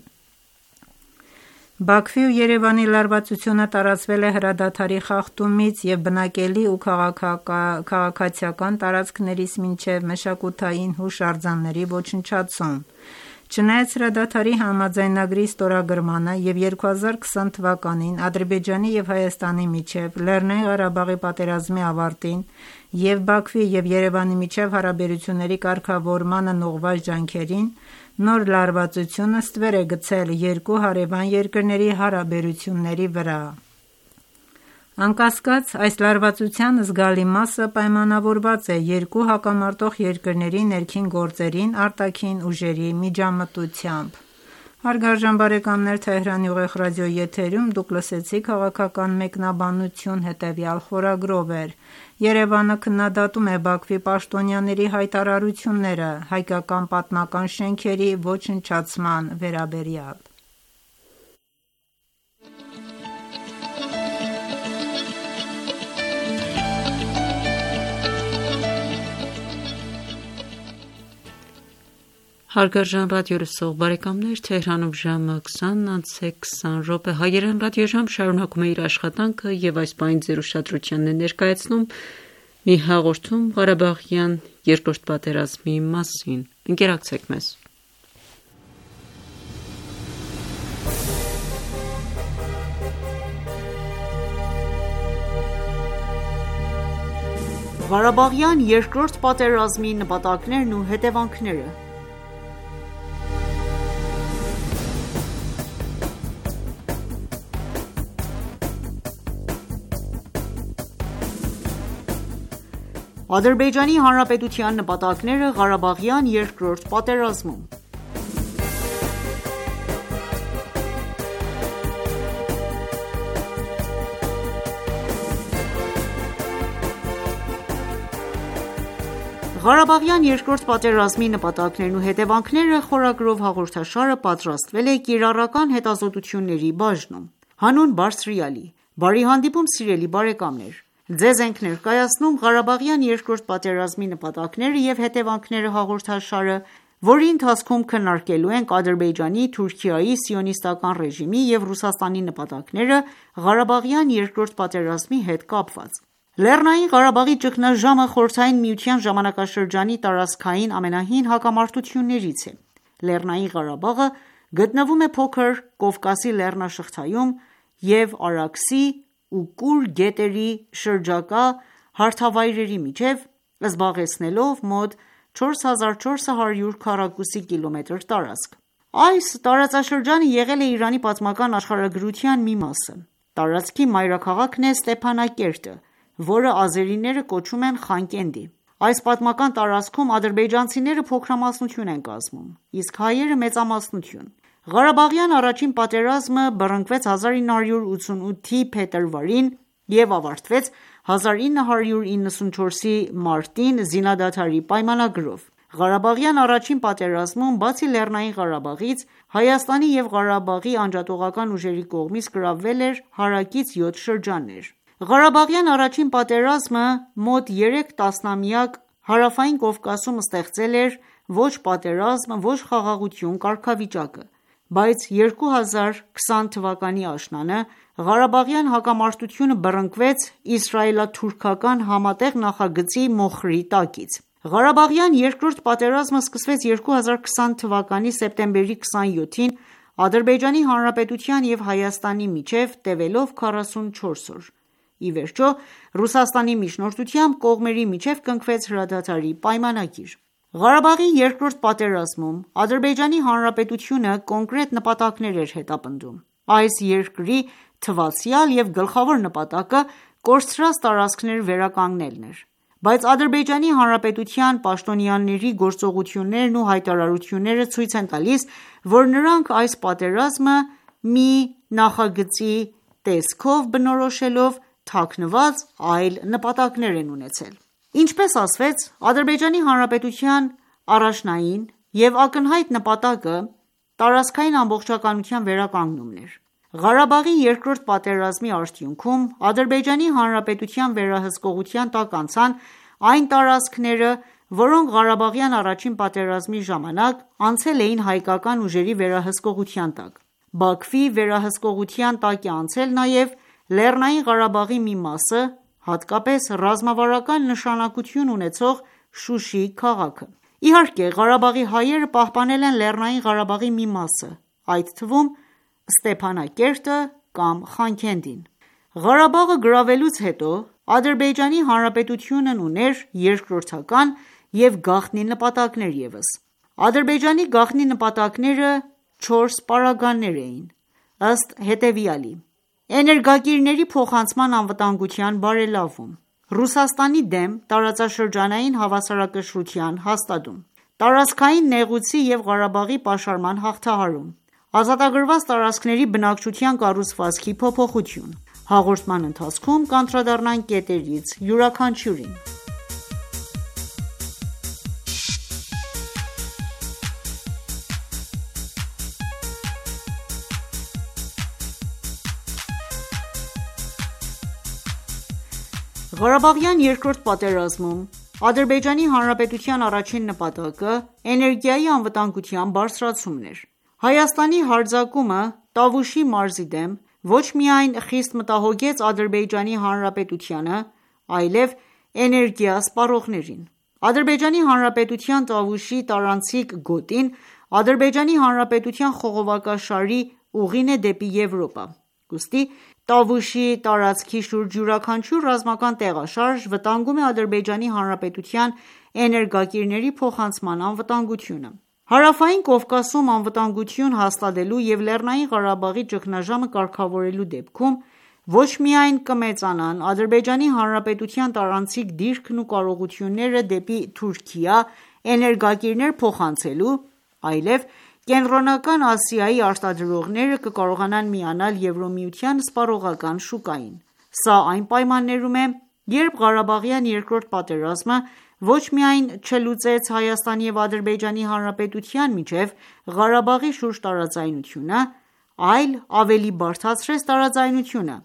Բաքվի ու Երևանի լարվածությունը տարածվել է հրադադարի խախտումից և բնակելի ու քաղաքացիական տարածքներից մինչև մշակութային հուշարձանների ոչնչացում։ Չնայած հրադադարի համաձայնագրի ստորագրմանը և 2020 թվականին Ադրբեջանի և Հայաստանի միջև Լեռնային Ղարաբաղի պատերազմի ավարտին և Բաքվի և Երևանի միջև հարաբերությունների կարգավորմանն ուղղված ջանքերին, նոր լարվածությունը ստվեր է գցել երկու հարևան երկրների հարաբերությունների վրա։ Անկասկած, այս լարվածության զգալի մասը պայմանավորված է երկու հակամարտող երկրների ներքին գործերին արտաքին ուժերի միջամտությամբ։ Հարգարժան բարեկամներ, Թեհրանի ուղիղ ռադիոյի եթերում դուք լսեցիք քաղաքական մեկնաբանություն հետևյալ խորագրով էր. Երևանը քննադատում է Բաքվի պաշտոնյաների հայտարարությունները հայկական պատմական շենքերի ոչնչացման վերաբերյալ։ Հարգարժան ռադիոլսող բարեկամներ, Թեհրանում ժամը 20:20 Հայերեն ռադիոժամ շարունակում է իր աշխատանքը և այս պահին ձեր ուշադրությանն է ներկայացնում մի հաղորդում Ղարաբաղյան երկրորդ պատերազմի մասին։ Ընկերակցեք մեզ։ Ղարաբաղյան երկրորդ պատերազմի նպատակներն ու հետևանքները։ Ադրբեջանի Հանրապետության նպատակները Ղարաբաղյան երկրորդ պատերազմում։ Ղարաբաղյան երկրորդ պատերազմի նպատակներն ու հետևանքները խորագրով հաղորդաշարը պատրաստվել է կիրառական հետազոտությունների բաժնում։ Հանուն Բարձրյալի, բարի հանդիպում սիրելի բարեկամներ։ Ձեզ ենք ներկայացնում Ղարաբաղյան երկրորդ պատերազմի նպատակները և հետևանքները հաղորդաշարը, որի ընթացքում քննարկելու ենք Ադրբեջանի, Թուրքիայի, Սիոնիստական ռեժիմի և Ռուսաստանի նպատակները Ղարաբաղյան երկրորդ պատերազմի հետ կապված։ Լեռնային Ղարաբաղի ճգնաժամը Խորհրդային Միության ժամանակաշրջանի տարածքային ամենահին հակամարտություններից է։ Լեռնային Ղարաբաղը գտնվում է փոքր Կովկասի լեռնաշղթայում և Արաքսի ու Կուր գետերի շրջակա հարթավայրերի միջև, զբաղեցնելով մոտ 4400 քառակուսի կիլոմետր տարածք։ Այս տարածաշրջանը եղել է Իրանի պատմական աշխարհագրության մի մասը։ Տարածքի մայրաքաղաքն է Ստեփանակերտը, որը ազերիները կոչում են Խանկենդի։ Այս պատմական տարածքում ադրբեջանցիները փոքրամասնություն են կազմում, իսկ հայերը մեծամասնություն։ Ղարաբաղյան առաջին պատերազմը բռնկվեց 1988-ի փետրվարին և ավարտվեց 1994-ի մարտին զինադադարի պայմանագրով։ Ղարաբաղյան առաջին պատերազմում, բացի Լեռնային Ղարաբաղից, Հայաստանի և Ղարաբաղի անջատողական ուժերի կողմից գրավվել էր հարակից 7 շրջաններ։ Ղարաբաղյան առաջին պատերազմը մոտ 3 տասնամյակ Հարավային Կովկասում ստեղծել էր ոչ պատերազմ, ոչ խաղաղություն կարգավիճակը, բայց 2020 թվականի աշնանը Ղարաբաղյան հակամարտությունը բռնկվեց իսրայելо-թուրքական համատեղ նախագծի մոխրի տակից։ Ղարաբաղյան երկրորդ պատերազմը սկսվեց 2020 թվականի սեպտեմբերի 27-ին Ադրբեջանի Հանրապետության և Հայաստանի միջև տևելով 44 օր։ Ի վերջո, Ռուսաստանի միջնորդությամբ կողմերի միջև կնքվեց հրադադարի պայմանագիր։ Ղարաբաղի երկրորդ պատերազմում Ադրբեջանի Հանրապետությունը կոնկրետ նպատակներ էր հետապնդում։ Այս երկրի թվացյալ և գլխավոր նպատակը կորցրած տարածքներ վերականգնելն էր։ Բայց Ադրբեջանի Հանրապետության պաշտոնյաների գործողություններն ու հայտարարությունները ցույց են տալիս, որ նրանք այս պատերազմը մի նախագծի տեսքով բնորոշելով թաքնված այլ նպատակներ են ունեցել։ Ինչպես ասվեց, Ադրբեջանի Հանրապետության առաջնային և ակնհայտ նպատակը տարածքային ամբողջականության վերականգնումն էր։ Ղարաբաղի երկրորդ պատերազմի արդյունքում Ադրբեջանի Հանրապետության վերահսկողության տակ անցան այն տարածքները, որոնք Ղարաբաղյան առաջին պատերազմի ժամանակ անցել էին հայկական ուժերի վերահսկողության տակ։ Բաքվի վերահսկողության տակ է անցել նաև Լեռնային Ղարաբաղի մի մասը, հատկապես ռազմավարական նշանակություն ունեցող Շուշի քաղաքը։ Իհարկե, Ղարաբաղի հայերը պահպանել են Լեռնային Ղարաբաղի մի մասը, այդ թվում Ստեփանակերտը կամ Խանքենդին։ Ղարաբաղը գրավելուց հետո Ադրբեջանի Հանրապետությունն ուներ երկրորդական և գաղտնի նպատակներ ևս։ Ադրբեջանի գաղտնի նպատակները 4 պարագաներ էին, ըստ հետևյալի. էներգակիրների փոխանցման անվտանգության բարելավում, Ռուսաստանի դեմ տարածաշրջանային հավասարակշռության հաստատում, տարածքային նեղուցի և Ղարաբաղի պաշարման հաղթահարում, ազատագրված տարածքների բնակչության կառուցվածքի փոփոխություն։ Հաղորդման ընթացքում կանդրադառնանք կետերից յուրաքանչյուրին։ Ղարաբաղյան երկրորդ պատերազմում Ադրբեջանի Հանրապետության առաջին նպատակը էներգիայի անվտանգության բարձրացումն էր։ Հայաստանի հարձակումը Տավուշի մարզի դեմ ոչ միայն խիստ մտահոգեց Ադրբեջանի Հանրապետությանը, այլև էներգիա սպառողներին։ Ադրբեջանի Հանրապետության Տավուշի տարանցիկ գոտին Ադրբեջանի Հանրապետության խողովակաշարի ուղին է դեպի Եվրոպա։ Ուստի Տավուշի տարածքի շուրջ յուրաքանչյուր ռազմական տեղաշարժ վտանգում է Ադրբեջանի Հանրապետության էներգակիրների փոխանցման անվտանգությունը։ Հարավային Կովկասում անվտանգություն հաստատելու և Լեռնային Ղարաբաղի ճգնաժամը կարգավորելու դեպքում ոչ միայն կմեծանան Ադրբեջանի Հանրապետության տարանցիկ դիրքն ու կարողությունները դեպի Թուրքիա էներգակիրներ փոխանցելու, այլև Կենտրոնական Ասիայի արտադրողները կկարողանան միանալ Եվրամիության սպառողական շուկային։ Սա այն պայմաններում է, երբ Ղարաբաղյան երկրորդ պատերազմը ոչ միայն չլուծեց Հայաստանի և Ադրբեջանի Հանրապետության միջև Ղարաբաղի շուրջ տարաձայնությունը, այլ ավելի բարդացրեց տարաձայնությունը,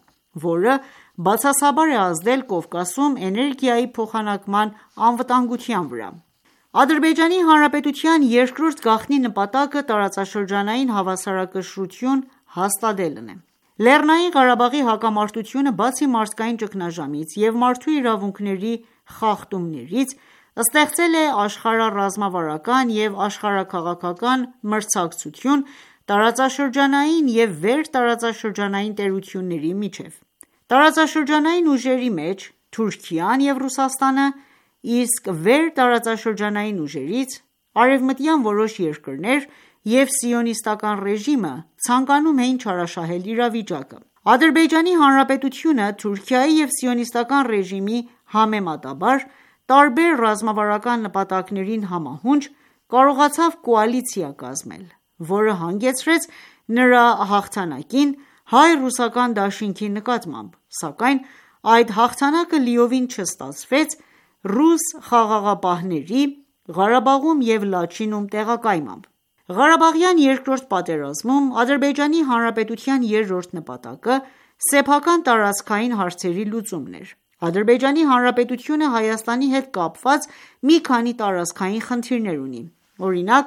որը բացասաբար է ազդել Կովկասում էներգիայի փոխանակման անվտանգության վրա։ Ադրբեջանի Հանրապետության երկրորդ գաղտնի նպատակը տարածաշրջանային հավասարակշռություն հաստատելն է։ Լեռնային Ղարաբաղի հակամարտությունը բացի մարդկային ճգնաժամից և մարդու իրավունքների խախտումներից, ստեղծել է աշխարհառազմավարական և աշխարհաքաղաքական մրցակցություն տարածաշրջանային և վերտարածաշրջանային տերությունների միջև։ Տարածաշրջանային ուժերի մեջ Թուրքիան և Ռուսաստանը, իսկ վերտարածաշրջանային ուժերից արևմտյան որոշ երկրներ և սիոնիստական ռեժիմը ցանկանում էին չարաշահել իրավիճակը։ Ադրբեջանի Հանրապետությունը Թուրքիայի և սիոնիստական ռեժիմի համեմատաբար տարբեր ռազմավարական նպատակներին համահունչ կարողացավ կոալիցիա կազմել, որը հանգեցրեց նրա հաղթանակին հայ-ռուսական դաշինքի նկատմամբ, սակայն այդ հաղթանակը լիովին չստացվեց ռուս խաղաղապահների Ղարաբաղում և Լաչինում տեղակայմամբ։ Ղարաբաղյան երկրորդ պատերազմում Ադրբեջանի Հանրապետության երրորդ նպատակը սեփական տարածքային հարցերի լուծումն էր։ Ադրբեջանի Հանրապետությունը Հայաստանի հետ կապված մի քանի տարածքային խնդիրներ ունի։ Օրինակ,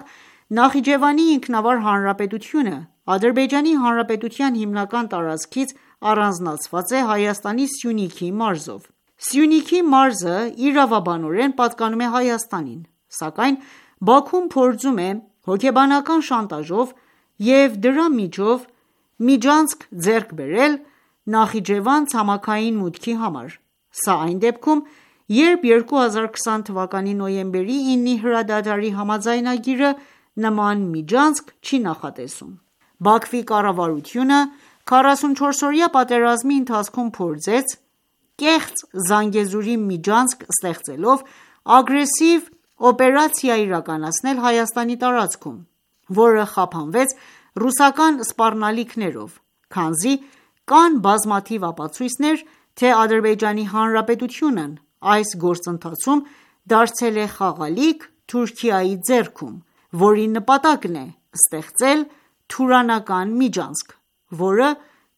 Նախիջևանի ինքնավար հանրապետությունը Ադրբեջանի Հանրապետության հիմնական տարածքից առանձնացված է Հայաստանի Սյունիքի մարզով։ Սյունիքի մարզը իրավաբանորեն պատկանում է Հայաստանին, սակայն Բաքուն փորձում է հոգեբանական շանտաժով և դրա միջով միջանցք ձեռք բերել Նախիջևան ցամաքային մուտքի համար։ Սա այն դեպքում, երբ 2020 թվականի նոյեմբերի 9-ի հրադադարի համաձայնագիրը նման միջանցք չի նախատեսում։ Բաքվի կառավարությունը 44-օրյա պատերազմի ընթացքում փորձեց կեղծ Զանգեզուրի միջանցք ստեղծելով ագրեսիվ օպերացիա իրականացնել Հայաստանի տարածքում, որը խափանվեց ռուսական սպառնալիքներով, քանզի կան բազմաթիվ ապացույցներ, թե Ադրբեջանի Հանրապետությունն այս գործընթացում դարձել է խաղալիք Թուրքիայի ձեռքում, որի նպատակն է ստեղծել թուրանական միջանցք, որը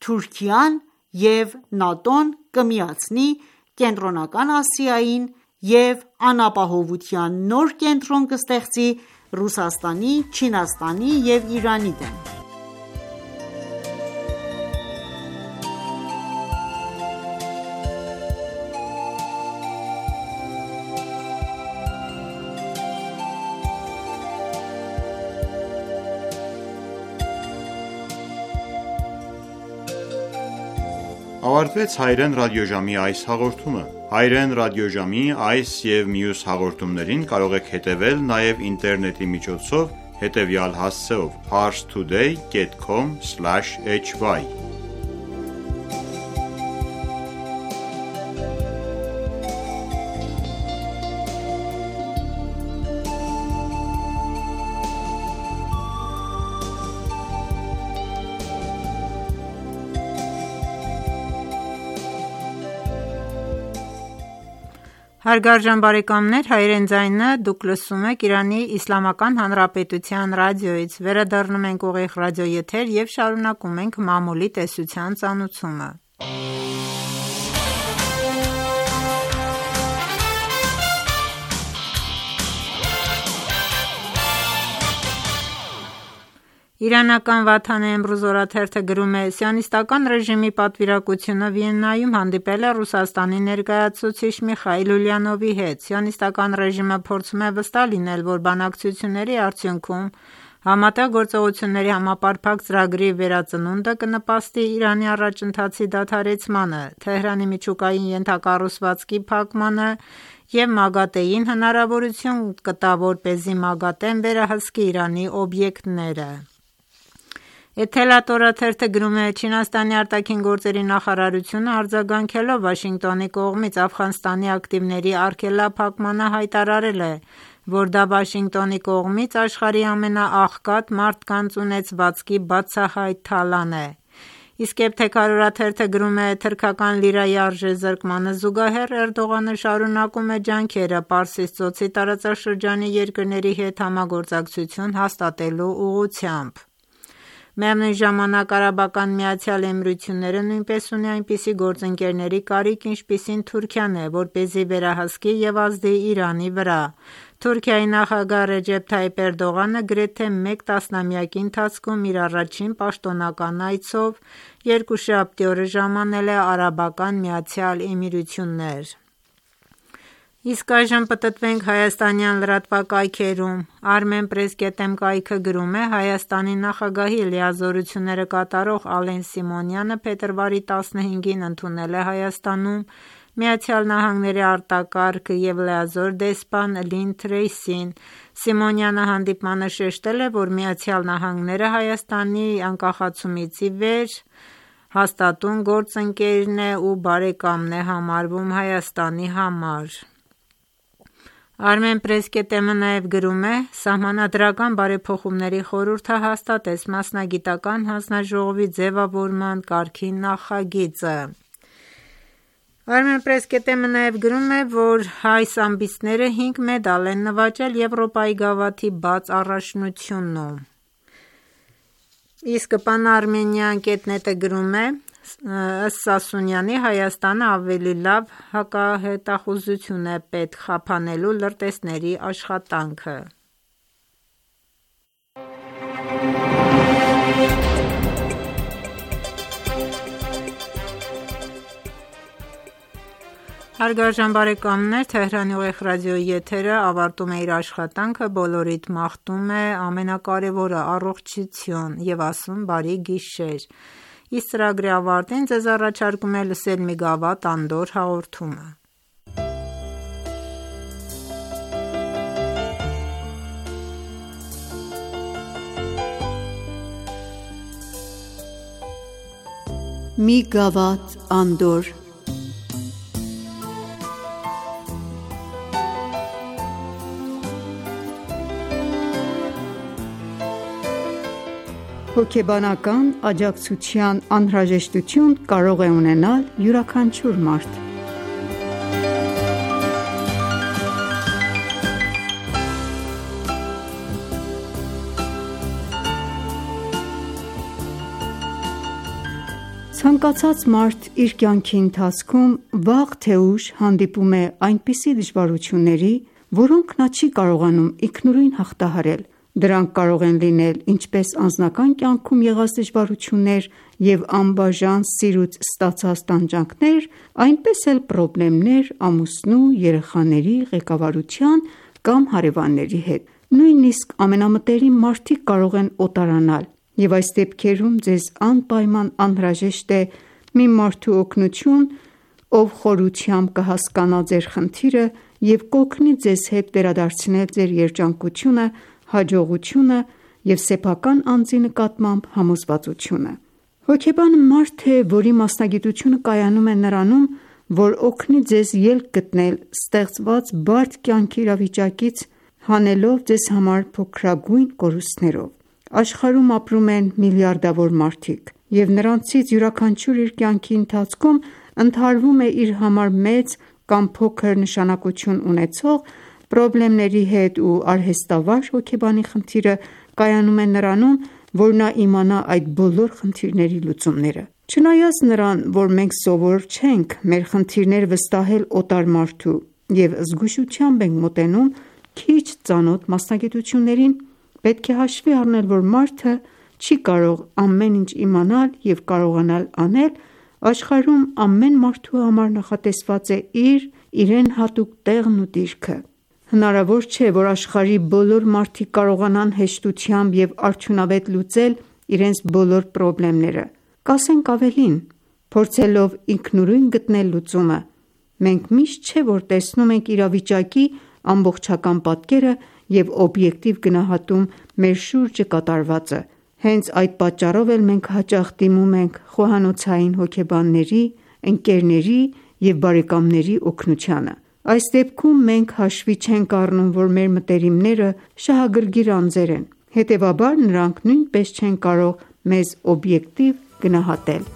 Թուրքիան և ՆԱՏՕ-ն կմիացնի Կենտրոնական Ասիային և անապահովության նոր կենտրոն կստեղծի Ռուսաստանի, Չինաստանի և Իրանի դեմ։ Ավարտվեց Հայրեն ռադիոժամի այս հաղորդումը։ Հայրեն ռադիոժամի այս և մյուս հաղորդումներին կարող եք հետևել նաև ինտերնետի միջոցով հետևյալ հասցեով՝ parstoday.com/hy Հարգարժան բարեկամներ, Հայրեն ձայնը դուք լսում եք Իրանի Իսլամական Հանրապետության ռադիոյից։ Վերադառնում ենք ուղիղ ռադիոեթեր և շարունակում ենք մամուլի տեսության ծանուցումը։ Իրանական Վաթան Էմրուզ օրաթերթը գրում է. «Սիոնիստական ռեժիմի պատվիրակությունը Վիեննայում հանդիպել է Ռուսաստանի ներկայացուցիչ Միխայիլ Ուլյանովի հետ։ Սիոնիստական ռեժիմը փորձում է վստահ լինել, որ բանակցությունների արդյունքում Համատեղ գործողությունների համապարփակ ծրագրի վերածնունդը կնպաստի Իրանի առաջընթացի դադարեցմանը, Թեհրանի միջուկային ենթակառուցվածքի փակմանը և ՄԱԳԱՏԷ-ին հնարավորություն կտա, որպեսզի ՄԱԳԱՏԷ-ն վերահսկի Իրանի օբյեկտները»։ Էթելատ օրաթերթը գրում է. «Չինաստանի արտաքին գործերի նախարարությունը արձագանքելով Վաշինգտոնի կողմից Աֆղանստանի ակտիվների արգելափակմանը հայտարարել է, որ դա Վաշինգտոնի կողմից աշխարհի ամենաաղքատ մարդկանց ունեցվածքի բացահայտ թալան է»։ Իսկ Էբթեքար օրաթերթը գրում է. «Թրքական լիրայի արժեզրկմանը զուգահեռ Էրդողանը շարունակում է ջանքերը Պարսից ծոցի տարածաշրջանի երկրների հետ համագործակցություն հաստատելու ուղղությամբ»։ Միևնույն ժամանակ Արաբական Միացյալ Էմիրությունները նույնպես ունի այնպիսի գործընկերների կարիք, ինչպիսին Թուրքիան է, որպեսզի վերահսկի և ազդի Իրանի վրա։ Թուրքիայի նախագահ Ռեջեփ Թայիփ Էրդողանը գրեթե մեկ տասնամյակի ընթացքում իր առաջին պաշտոնական այցով երկուշաբթի օրը ժամանել է Արաբական Միացյալ Էմիրություններ։ Իսկ այժմ պտտվենք հայաստանյան լրատվակայքերում։ Armenpress.am կայքը գրում է. Հայաստանի նախագահի լիազորությունները կատարող Ալեն Սիմոնյանը փետրվարի 15-ին ընդունել է Հայաստանում ԱՄՆ-ի արտակարգ և լիազոր դեսպան Լին Թրեյսին։ Սիմոնյանը հանդիպմանը շեշտել է, որ ԱՄՆ-ն Հայաստանի անկախացումից ի վեր հաստատուն գործընկերն է ու բարեկամն է համարվում Հայաստանի համար։ Armenpress.am-ը նաև գրում է. «Սահմանադրական բարեփոխումների խորհուրդը հաստատեց մասնագիտական հանձնաժողովի ձևավորման կարգի նախագիծը»։ Armenpress.am-ը նաև գրում է, որ հայ սամբիստները 5 մեդալ են նվաճել Եվրոպայի գավաթի բաց առաջնությունում։ Իսկ Pan-Armenian.net-ը գրում է. «Ըստ Սասունյանի, Հայաստանը ավելի լավ հակահետախուզություն է պետք խափանելու լրտեսների աշխատանքը»։ Հարգարժան բարեկամներ, Թեհրանի ուղիղ ռադիոյի եթերը ավարտում է իր աշխատանքը, բոլորիդ մաղթում է ամենակարևորը՝ առողջություն և ասում բարի գիշեր։ Իսկ ծրագրի ավարտին ձեզ առաջարկում է լսել մի գավաթ անդորր հաղորդումը։ Մի գավաթ անդորր։ Հոգեբանական աջակցության անհրաժեշտություն կարող է ունենալ յուրաքանչյուր մարդ։ Ցանկացած մարդ իր կյանքի ընթացքում վաղ թե ուշ հանդիպում է այնպիսի դժվարությունների, որոնք նա չի կարողանում ինքնուրույն հաղթահարել։ Դրանք կարող են լինել ինչպես անձնական կյանքում եղած դժվարություններ և անբաժան սիրուց ստացած տանջանքներ, այնպես էլ պրոբլեմներ ամուսնու, երեխաների, ղեկավարության կամ հարևանների հետ։ Նույնիսկ ամենամտերիմ մարդիկ կարող են օտարանալ, և այս դեպքերում ձեզ անպայման անհրաժեշտ է մի մարդու օգնություն, ով խորությամբ կհասկանա ձեր խնդիրը և կօգնի ձեզ հետ վերադարձնել ձեր երջանկությունը, հաջողությունը և սեփական անձի նկատմամբ համոզվածությունը։ Հոգեբանը մարդ է, որի մասնագիտությունը կայանում է նրանում, որ օգնի ձեզ ելք գտնել ստեղծված բարդ կյանքի իրավիճակից, հանելով ձեզ համար փոքրագույն կորուստներով։ Աշխարհում ապրում են միլիարդավոր մարդիկ, և նրանցից յուրաքանչյուրը իր կյանքի ընթացքում ընդհարվում է իր համար մեծ կամ փոքր նշանակություն ունեցող պրոբլեմների հետ, ու արհեստավար հոգեբանի խնդիրը կայանում է նրանում, որ նա իմանա այդ բոլոր խնդիրների լուծումները։ Չնայած նրան, որ մենք սովոր չենք մեր խնդիրները վստահել օտար մարդու և զգուշությամբ ենք մոտենում քիչ ծանոթ մասնագիտություններին, պետք է հաշվի առնել, որ մարդը չի կարող ամեն ինչ իմանալ և կարողանալ անել, աշխարհում ամեն մարդու համար նախատեսված է իրեն հատուկ տեղն ու դիրքը։ Հնարավոր չէ, որ աշխարհի բոլոր մարդիկ կարողանան հեշտությամբ և արդյունավետ լուծել իրենց բոլոր պրոբլեմները։ Կասենք ավելին, փորձելով ինքնուրույն գտնել լուծումը, մենք միշտ չէ որ տեսնում ենք իրավիճակի ամբողջական պատկերը և օբյեկտիվ գնահատում մեր շուրջը կատարվածը։ Հենց այդ պատճառով էլ մենք հաճախ դիմում ենք խոհանոցային հոգեբանների, ընկերների և բարեկամների օգնությանը։ Այս դեպքում մենք հաշվի չենք առնում, որ մեր մտերիմները շահագրգիռ անձեր են, հետևաբար նրանք նույնպես չեն կարող մեզ օբյեկտիվ գնահատել։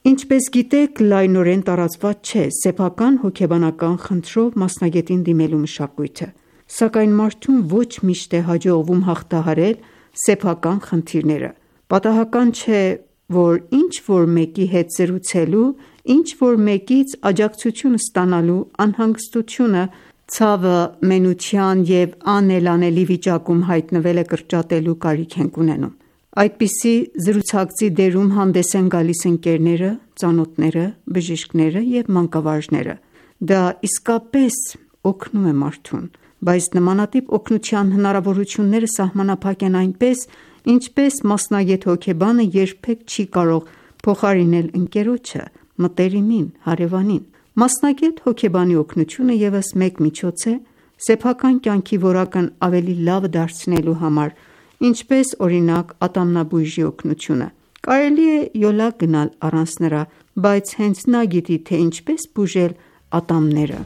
Ինչպես գիտեք, լայնորեն տարածված չէ սեփական հոգեբանական խնդրով մասնագետին դիմելու մշակույթը, սակայն մարդուն ոչ միշտ է հաջողվում հաղթահարել սեփական խնդիրները։ Պատահական չէ, որ ինչ-որ մեկի հետ զրուցելու, ինչ-որ մեկից աջակցություն ստանալու անհանգստությունը, ցավը, մենության և անելանելի վիճակում հայտնվելը կրճատելու կարիք ենք ունենում։ Այդպիսի զրուցակցի դերում հանդես են գալիս ընկերները, ծանոթները, բժիշկները և մանկավարժները։ Դա իսկապես օգնում է մարդուն։ բայց նմանատիպ օգնության հնարավորությունները սահմանափակ են այնպես, ինչպես մասնագետ հոգեբանը երբեք չի կարող փոխարինել ընկերոջը, մտերիմին, հարևանին։ Մասնագետ հոգեբանի օգնությունը ևս մեկ միջոց է սեփական կյանքի որակն ավելի լավ դարձնելու համար, ինչպես օրինակ ատամնաբույժի օգնությունը։ Կարելի է յոլա գնալ առանց նրա, բայց հենց նա գիտի, թե ինչպես բուժել ատամները։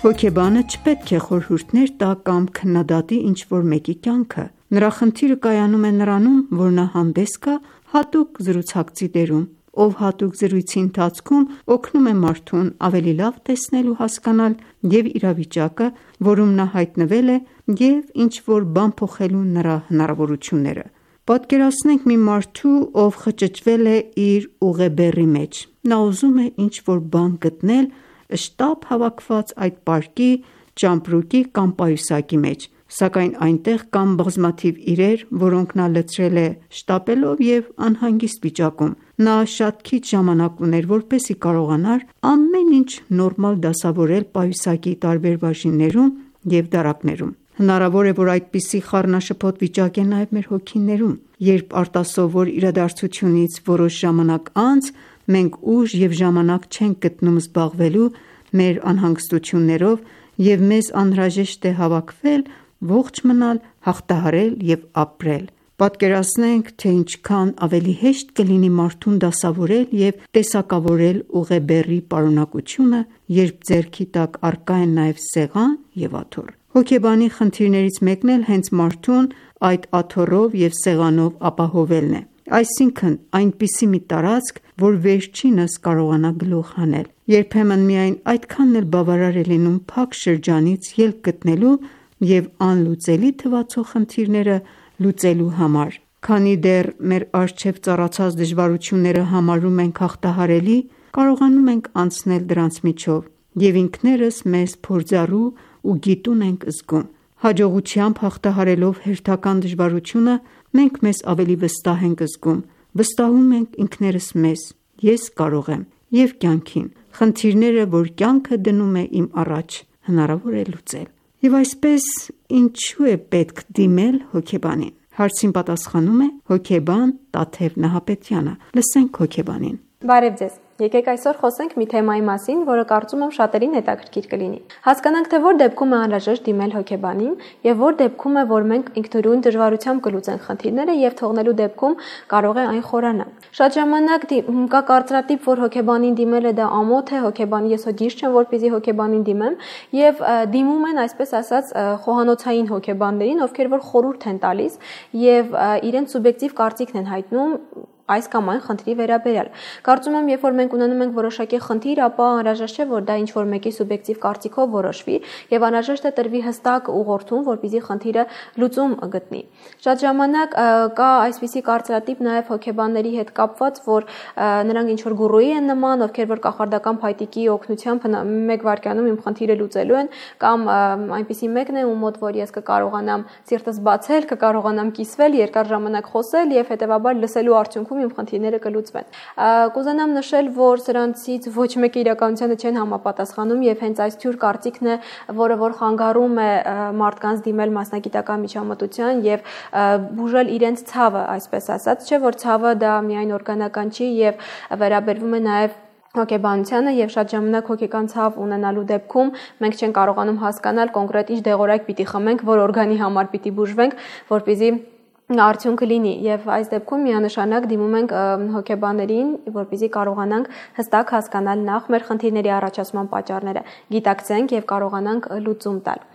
Հոգեբանը չպետք է խորհուրդներ տա կամ քննադատի ինչ-որ մեկի կյանքը։ Նրա խնդիրը կայանում է նրանում, որ նա հանդես գա հատուկ զրուցակցի դերում, ով հատուկ զրույցի ընթացքում օգնում է մարդուն ավելի լավ տեսնել ու հասկանալ և իրավիճակը, որում նա հայտնվել է, և ինչ-որ բան փոխելու նրա հնարավորությունները։ Պատկերացնենք մի մարդու, ով խճճվել է իր ուղեբեռի մեջ։ Նա ուզում է ինչ-որ բան գտնել շտապ հավաքված այդ պարկի, ճամպրուկի կամ պայուսակի մեջ, սակայն այնտեղ կան բազմաթիվ իրեր, որոնք նա լցրել է շտապելով և անհանգիստ վիճակում։ Նա շատ քիչ ժամանակ ուներ, որպեսզի կարողանար ամեն ինչ նորմալ դասավորել պայուսակի տարբեր բաժիններում և դարակներում։ Հնարավոր է, որ այդպիսի խառնաշփոթ վիճակ է նաև մեր հոգիներում, երբ արտասովոր իրադարձությունից որոշ ժամանակ անց մենք ուժ և ժամանակ չենք գտնում զբաղվելու մեր անհանգստություններով և մեզ անհրաժեշտ է հավաքվել, ողջ մնալ, հաղթահարել և ապրել։ Պատկերացնենք, թե ինչքան ավելի հեշտ կլինի մարդուն դասավորել և տեսակավորել ուղեբեռի պարունակությունը, երբ ձեռքի տակ առկա են նաև սեղան և աթոռ։ Հոգեբանի խնդիրներից մեկն էլ հենց մարդուն այդ աթոռով և սեղանով ապահովելն է, այսինքն այնպիսի մի տարածք, որ վերջինս կարողանա գլուխ հանել։ Երբեմն միայն այդքանն էլ բավարար է լինում փակ շրջանից ելք գտնելու և անլուծելի թվացող խնդիրները լուծելու համար։ Քանի դեռ մեր առջև ծառացած դժվարությունները համարում ենք հաղթահարելի, կարողանում ենք անցնել դրանց միջով և ինքներս մեզ փորձառու ու գիտուն ենք զգում։ Հաջողությամբ հաղթահարելով հերթական դժվարությունը, մենք մեզ ավելի վստահ ենք զգում, վստահում ենք ինքներս մեզ, ես կարող եմ, և կյանքին։ Խնդիրները, որ կյանքը դնում է իմ առաջ, հնարավոր է լուծել։ Եվ այսպես, ինչու է պետք դիմել հոգեբանին։ Հարցին պատասխանում է հոգեբան Տաթև Նահապետյանը։ Լսենք հոգեբանին։ Բարև ձեզ։ Եկեք այսօր խոսենք մի թեմայի մասին, որը կարծում եմ շատերին հետաքրքիր կլինի։ Հասկանանք, թե որ դեպքում է անհրաժեշտ դիմել հոգեբանին եւ որ դեպքում է, որ մենք ինքնուրույն դժվարությամբ կլուծենք խնդիրները եւ թողնելու դեպքում կարող է այն խորանալ։ Շատ ժամանակ կա կարծրատիպ, որ հոգեբանին դիմելը դա ամոթ է, հոգեբանի ես հոգիս չեմ, որպեսզի հոգեբանին դիմեմ, եւ դիմում են, այսպես ասած, խոհանոցային հոգեբաններին, ովքեր որ խորհուրդ են տալիս եւ իրենց սուբյեկտիվ կարծիքն են հայտնում այս կամ այն խնդրի վերաբերյալ։ Կարծում եմ, երբ որ մենք ունենում ենք որոշակի խնդիր, ապա անհրաժեշտ չէ, որ դա ինչ-որ մեկի սուբյեկտիվ կարծիքով որոշվի եւ անհրաժեշտ է տրվի հստակ ուղղորդում, որպեսզի խնդիրը լուծում գտնի։ Շատ ժամանակ կա այսպիսի կարծրատիպ նաեւ հոգեբանների հետ կապված, որ նրանք ինչ-որ գուրուի են նման, ովքեր որ կախարդական փայտիկի օգնությամբ մեկ վայրկյանում իմ խնդիրը լուծելու են, կամ այնպիսի մեկն է, ում մոտ որ ես կկարողանամ սիրտս բացել, կկարողանամ կիսվել, երկար ժամանակ խոսել եւ հետեւաբար լսելու արդյունքում իմ խնդիրները կլուծվեն։ Կուզենամ նշել, որ սրանցից ոչ մեկը իրականությանը չեն համապատասխանում եւ հենց այս թյուր կարծիքն է, որը որ խանգարում է մարդկանց դիմել մասնագիտական միջամտության եւ բուժել իրենց ցավը, այսպես ասած, չէ՞ որ ցավը դա միայն օրգանական չի եւ վերաբերվում է նաեւ հոգեբանությանը եւ շատ ժամանակ հոգեկան ցավ ունենալու դեպքում մենք չենք կարողանում հասկանալ կոնկրետ ինչ դեղորայք պիտի խմենք, որ օրգանի համար պիտի բուժվենք, որպեսզի արդյունքը լինի եւ այս դեպքում միանշանակ դիմում ենք հոգեբաններին, որպեսզի կարողանանք հստակ հասկանալ նախ մեր խնդիրների առաջացման պատճառները, գիտակցենք եւ կարողանանք լուծում տալ։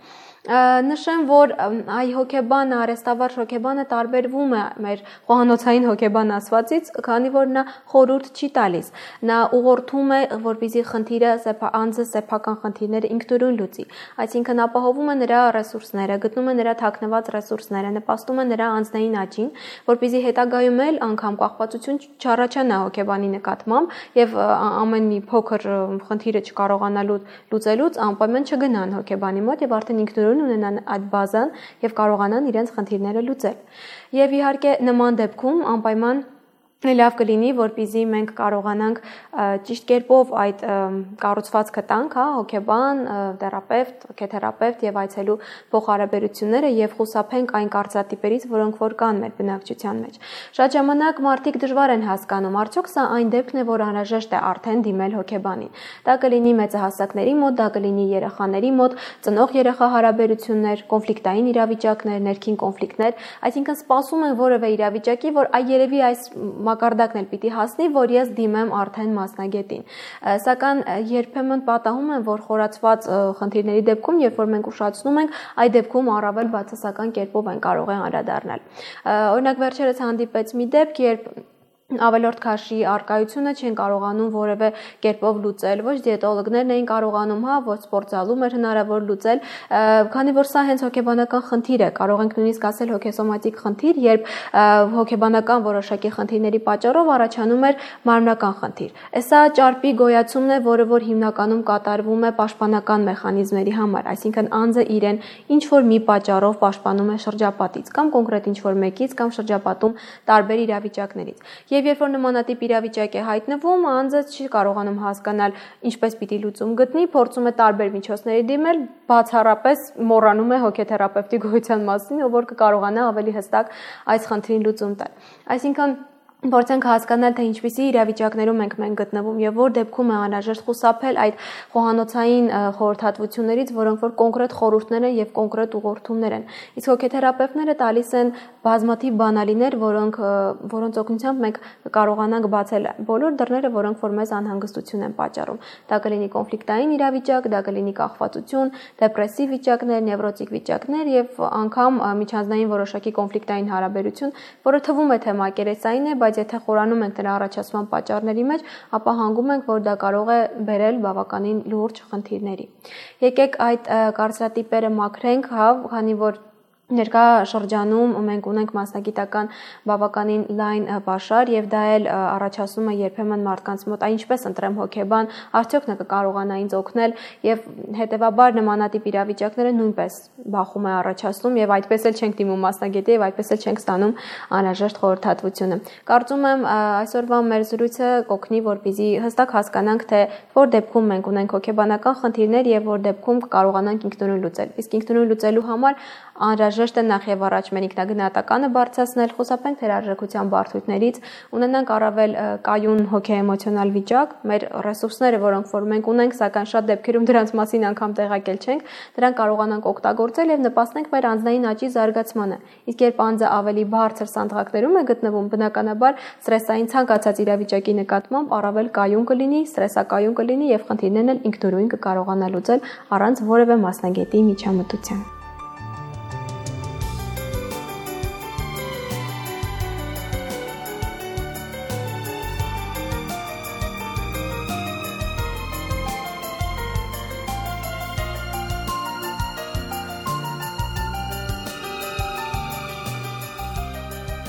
Նշեմ, որ այ հոգեբանը, արհեստավարժ հոգեբանը տարբերվում է մեր խոհանոցային հոգեբան ասվածից, քանի որ նա խորհուրդ չի տալիս։ Նա ուղղորդում է, որպեսզի խնդիրը անձը սեփական խնդիրները ինքնուրույն լուծի։ Այսինքն ապահովում է նրա ռեսուրսները, գտնում է նրա թաքնված ռեսուրսները, նպաստում է նրա անձնային աճին, որպեսզի հետագայում էլ անգամ կախվածություն չառաջանա հոգեբանի նկատմամբ եւ ամեն մի փոքր խնդիրը չկարողանալու լուծելուց անպայման չգնան հոգեբանի մոտ եւ արդեն ինքնուրույն ինքնուրույն ունենան այդ բազան եւ կարողանան իրենց խնդիրները լուծել։ Եվ իհարկե նման դեպքում անպայման լավ կլինի, որպեսզի մենք կարողանանք ճիշտ կերպով այդ կառուցվածքը տանք, հոգեբան, թերապևտ, հոգեթերապևտ եւ այցելու փոխհարաբերությունները եւ խուսափենք այն կարծրատիպերից, որոնք որ կան մեր բնակչության մեջ։ Շատ ժամանակ մարդիկ դժվար են հասկանում, արդյոք սա այն դեպքն է, որ անհրաժեշտ է արդեն դիմել հոգեբանին։ Դա կլինի մեծահասակների մոտ, դա կլինի երեխաների մոտ, ծնող երեխա հարաբերություններ, կոնֆլիկտային իրավիճակներ, ներքին կոնֆլիկտներ, այսինքն սպասում են որևէ իրավիճակի, որ երևի այս մակարդակն էլ պիտի հասնի, որ ես դիմեմ արդեն մասնագետին։ Սակայն երբեմն պատահում են, որ խորացված խնդիրների դեպքում, երբ որ մենք ուշացնում ենք, այդ դեպքում առավել բացասական կերպով են կարող են անդրադառնալ։ Օրինակ վերջերս հանդիպեց մի դեպք, երբ ավելորդ քաշի արկայությունը չեն կարողանում որևէ կերպով լուծել, ոչ դիետոլոգներն էին կարողանում, ոչ սպորտզալում էր հնարավոր լուծել, քանի որ սա հենց հոգեբանական խնդիր է, կարող ենք նույնիսկ ասել հոգեսոմատիկ խնդիր, երբ հոգեբանական որոշակի խնդիրների պատճառով առաջանում էր մարմնական խնդիր։ Սա ճարպի գոյացումն է, որը որ հիմնականում կատարվում է պաշտպանական մեխանիզմների համար, այսինքն անձը իրեն ինչ որ մի պատճառով պաշտպանում է շրջապատից կամ կոնկրետ ինչ որ մեկից կամ շրջապատում տարբեր իրավիճակներից։ Եվ երբ որ նմանատիպ իրավիճակ է հայտնվում, անձը չի կարողանում հասկանալ ինչպես պիտի լուծում գտնի, փորձում է տարբեր միջոցների դիմել, բացառապես մոռանում է հոգեթերապևտի գոյության մասին, ով որ կկարողանա ավելի հստակ այս խնդրին լուծում տալ։ Այսինքն փորձենք հասկանալ, թե ինչպիսի իրավիճակներում ենք մենք գտնվում եւ որ դեպքում է անհրաժեշտ խուսափել այդ խոհանոցային խորհրդատվություններից, որոնք որ կոնկրետ խորհուրդներ են եւ կոնկրետ ուղղորդումներ են։ Իսկ հոգեթերապևտները տալիս են բազմաթիվ բանալիներ, որոնց օգնությամբ մենք կարողանանք բացել բոլոր դռները, որոնք որ մեզ անհանգստություն են պատճառում։ Դա կլինի կոնֆլիկտային իրավիճակ, դա կլինի կախվածություն, դեպրեսիվ վիճակներ, նևրոտիկ վիճակներ եւ անգամ միջանձնային որոշակի կոնֆլիկտային հարաբերություն, որը թվում է թե մակերեսային է, բայց եթե խորանում ենք դրա առաջացման պատճառների մեջ, ապա հանգում ենք, որ դա կարող է բերել բավականին լուրջ խնդիրների։ Եկեք այդ կարծրատիպերը մաքրենք, քանի որ ներկա շրջանում մենք ունենք մասնագիտական բավականին լայն պաշար եւ դա էլ առաջացնում է երբեմն մարդկանց մոտ, ինչպես ընտրեմ հոգեբան, արդյոք նա կկարողանա ինձ օգնել եւ հետեւաբար նմանատիպ իրավիճակները նույնպես բախում է առաջացնում եւ այդպես էլ չենք դիմում մասնագետի եւ այդպես էլ չենք ստանում անհրաժեշտ խորհրդատվությունը։ Կարծում եմ այսօրվա մեր զրույցը կօգնի, որպեսզի հստակ հասկանանք, թե որ դեպքում մենք ունենք հոգեբանական խնդիրներ եւ որ դեպքում կկարողանանք ինքնուրույն լուծել։ Իսկ ինքնուրույն լուծելու համար անհրաժեշտ է նախ եւ առաջ մեր ինքնագնահատականը բարձրացնել, խուսափենք թերարժեքության բարդություններից, ունենանք առավել կայուն հոգեէմոցիոնալ վիճակ, մեր ռեսուրսները, որոնք որ մենք ունենք, սակայն շատ դեպքերում դրանց մասին անգամ տեղյակել չենք, դրանք կարողանանք օգտագործել եւ նպաստենք մեր անձնային աճի զարգացմանը։ Իսկ երբ անձը ավելի բարձր սանդղակներում է գտնվում, բնականաբար ստրեսային ցանկացած իրավիճակի նկատմամբ առավել կայուն կլինի, ստրեսակայուն կլինի եւ խնդիրներն էլ ինքնուրույն կկարողանա լուծել առանց որևէ մասնագետի միջամտության։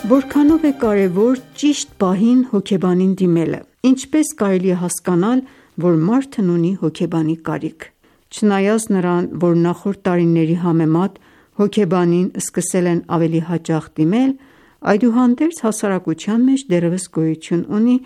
Որքանով է կարևոր ճիշտ պահին հոգեբանին դիմելը։ Ինչպես կարելի է հասկանալ, որ մարդն ունի հոգեբանի կարիք։ Չնայած նրան, որ նախորդ տարիների համեմատ հոգեբանին սկսել են ավելի հաճախ դիմել, այդուհանդերձ հասարակության մեջ դեռևս գոյություն ունի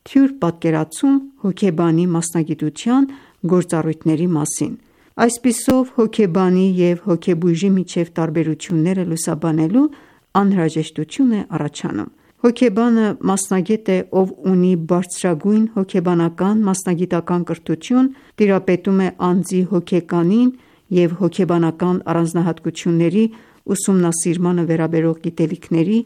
թյուր պատկերացում հոգեբանի մասնագիտության գործառույթների մասին։ Այսպիսով հոգեբանի և հոգեբույժի միջև տարբերությունները լուսաբանելու անհրաժեշտություն է առաջանում։ Հոգեբանը մասնագետ է, ով ունի բարձրագույն հոգեբանական մասնագիտական կրթություն, տիրապետում է անձի հոգեկանին և հոգեբանական առանձնահատկությունների ուսումնասիրմանը վերաբերող գիտելիքների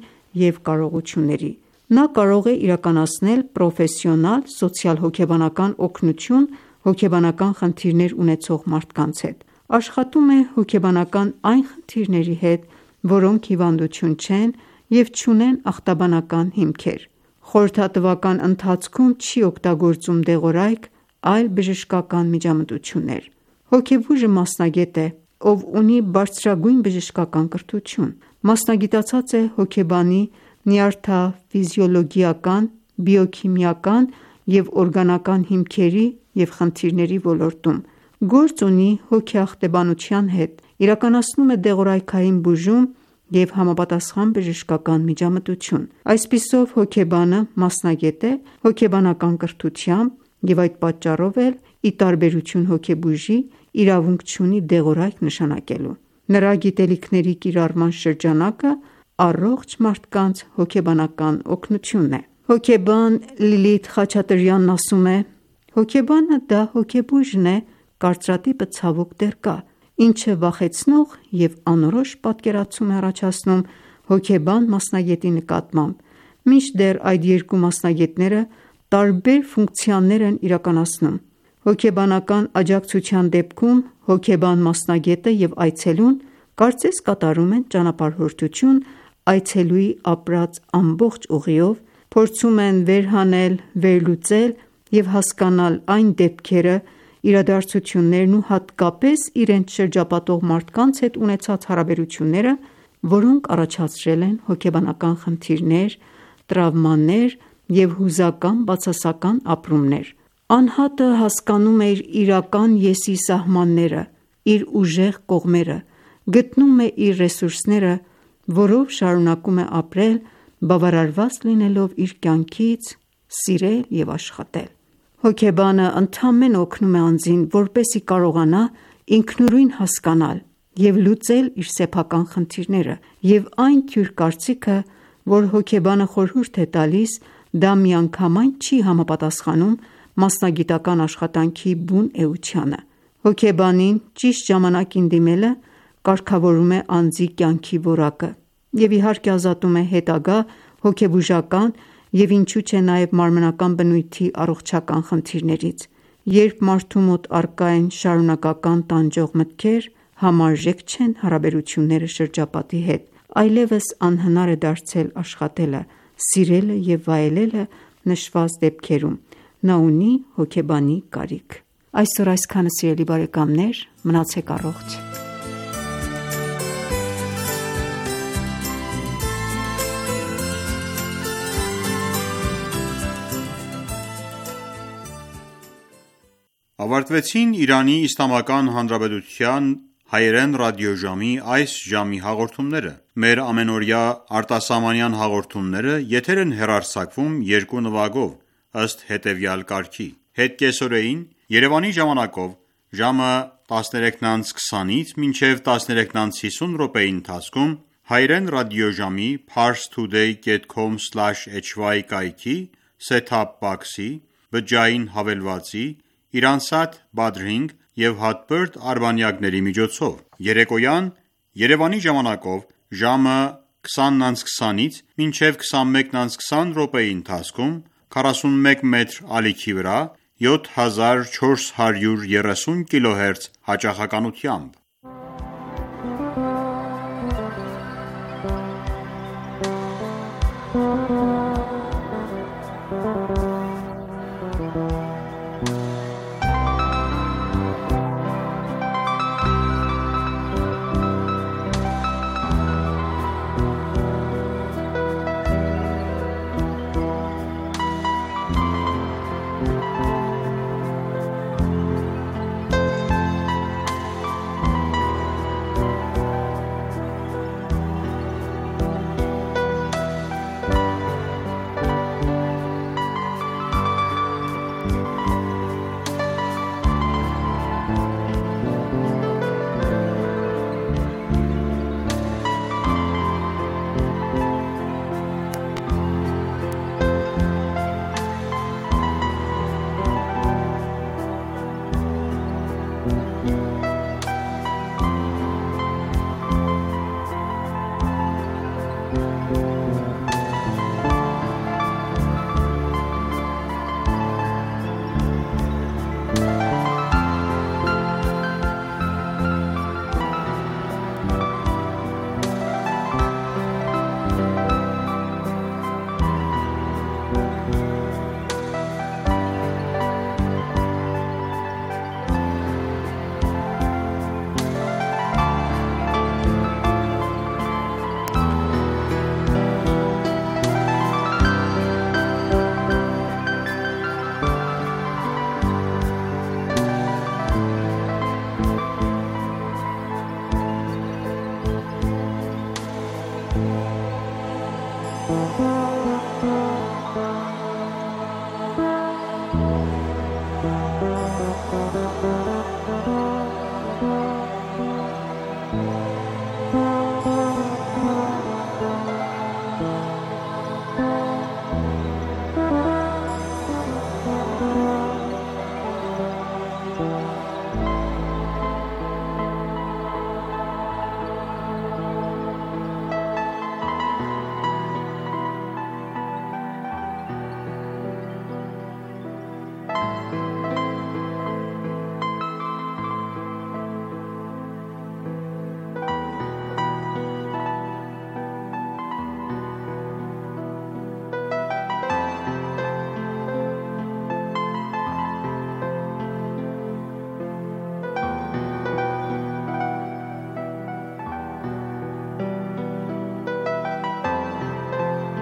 և կարողությունների։ Նա կարող է իրականացնել պրոֆեսիոնալ սոցիալ-հոգեբանական օգնություն հոգեբանական խնդիրներ ունեցող մարդկանց հետ։ Աշխատում է հոգեբանական այն խնդիրների հետ, որոնք հիվանդություն չեն և չունեն ախտաբանական հիմքեր։ Խորհրդատվական ընթացքում չի օգտագործում դեղորայք, այլ բժշկական միջամտություններ։ Հոգեբույժը մասնագետ է, ով ունի բարձրագույն բժշկական կրթություն։ Մասնագիտացած է հոգեբանի նյարդաֆիզիոլոգիական, բիոքիմիական և օրգանական հիմքերի և խնդիրների ոլորտում։ Գործ ունի հոգեախտեբանության հետ իրականացնում է դեղորայքային բուժում և համապատասխան բժշկական միջամտություն։ Այսպիսով, հոգեբանը մասնագետ է հոգեբանական կրթությամբ և այդ պատճառով էլ, ի տարբերություն հոգեբույժի, իրավունք չունի դեղորայք նշանակելու։ Նրա գիտելիքների կիրառման շրջանակը առողջ մարդկանց հոգեբանական օգնությունն է։ Հոգեբան Լիլիթ Խաչատրյանն ասում է. «Հոգեբանը դա հոգեբույժն է, կարծրատիպը ցավոք դեռ կա, ինչը վախեցնող և անորոշ պատկերացում է առաջացնում հոգեբան մասնագետի նկատմամբ, մինչդեռ այդ երկու մասնագետները տարբեր ֆունկցիաներ են իրականացնում։ Հոգեբանական աջակցության դեպքում հոգեբան մասնագետը և այցելուն կարծես կատարում են ճանապարհորդություն այցելուի ապրած ամբողջ ուղիով, փորձում են վերհանել, վերլուծել և հասկանալ այն դեպքերը, իրադարձություններն ու հատկապես իրենց շրջապատող մարդկանց հետ ունեցած հարաբերությունները, որոնք առաջացրել են հոգեբանական խնդիրներ, տրավմաներ և հուզական բացասական ապրումներ։ Անհատը հասկանում է իր իրական ես-ի սահմանները, իր ուժեղ կողմերը, գտնում է իր ռեսուրսները, որով շարունակում է ապրել, բավարարված լինելով իր կյանքից, սիրել և աշխատել։ Հոգեբանը ընդամենը օգնում է անձին, որպեսզի կարողանա ինքնուրույն հասկանալ և լուծել իր սեփական խնդիրները, և այն թյուր կարծիքը, որ հոգեբանը խորհուրդ է տալիս, դա միանգամայն չի համապատասխանում մասնագիտական աշխատանքի բուն էությանը։ Հոգեբանին ճիշտ ժամանակին դիմելը կարգավորում է անձի կյանքի որակը և իհարկե ազատում է հետագա հոգեբուժական և ինչու չէ նաև մարմնական բնույթի առողջական խնդիրներից։ Երբ մարդու մոտ առկա են շարունակական տանջող մտքեր, համարժեք չեն հարաբերությունները շրջապատի հետ, այլևս անհնար է դարձել աշխատելը, սիրելը և վայելելը նշված դեպքերում, նա ունի հոգեբանի կարիք։ Այսօր այսքանը սիրելի բարեկամներ, մնացեք առողջ։ Ավարտվեցին Իրանի Իսլամական Հանրապետության հայերեն ռադիոժամի այս ժամի հաղորդումները։ Մեր ամենօրյա արտասահմանյան հաղորդումները եթեր են հեռարձակվում երկու նվագով, ըստ հետևյալ կարգի. Հետ կեսօրեին Երևանի ժամանակով ժամը 13:20-ից մինչև 13:50 րոպեի ընթացքում հայերեն ռադիոժամի parstoday.com/hy կայքի set-top box-ի, բջջային հավելվածի, Iransat Badrinh և հատբերդ արբանյակների միջոցով։ Երեկոյան Երևանի ժամանակով ժամը 20:20-ից մինչև 21:20 րոպեի ընթացքում 41 մետր ալիքի վրա 7430 kHz հաճախականությամբ։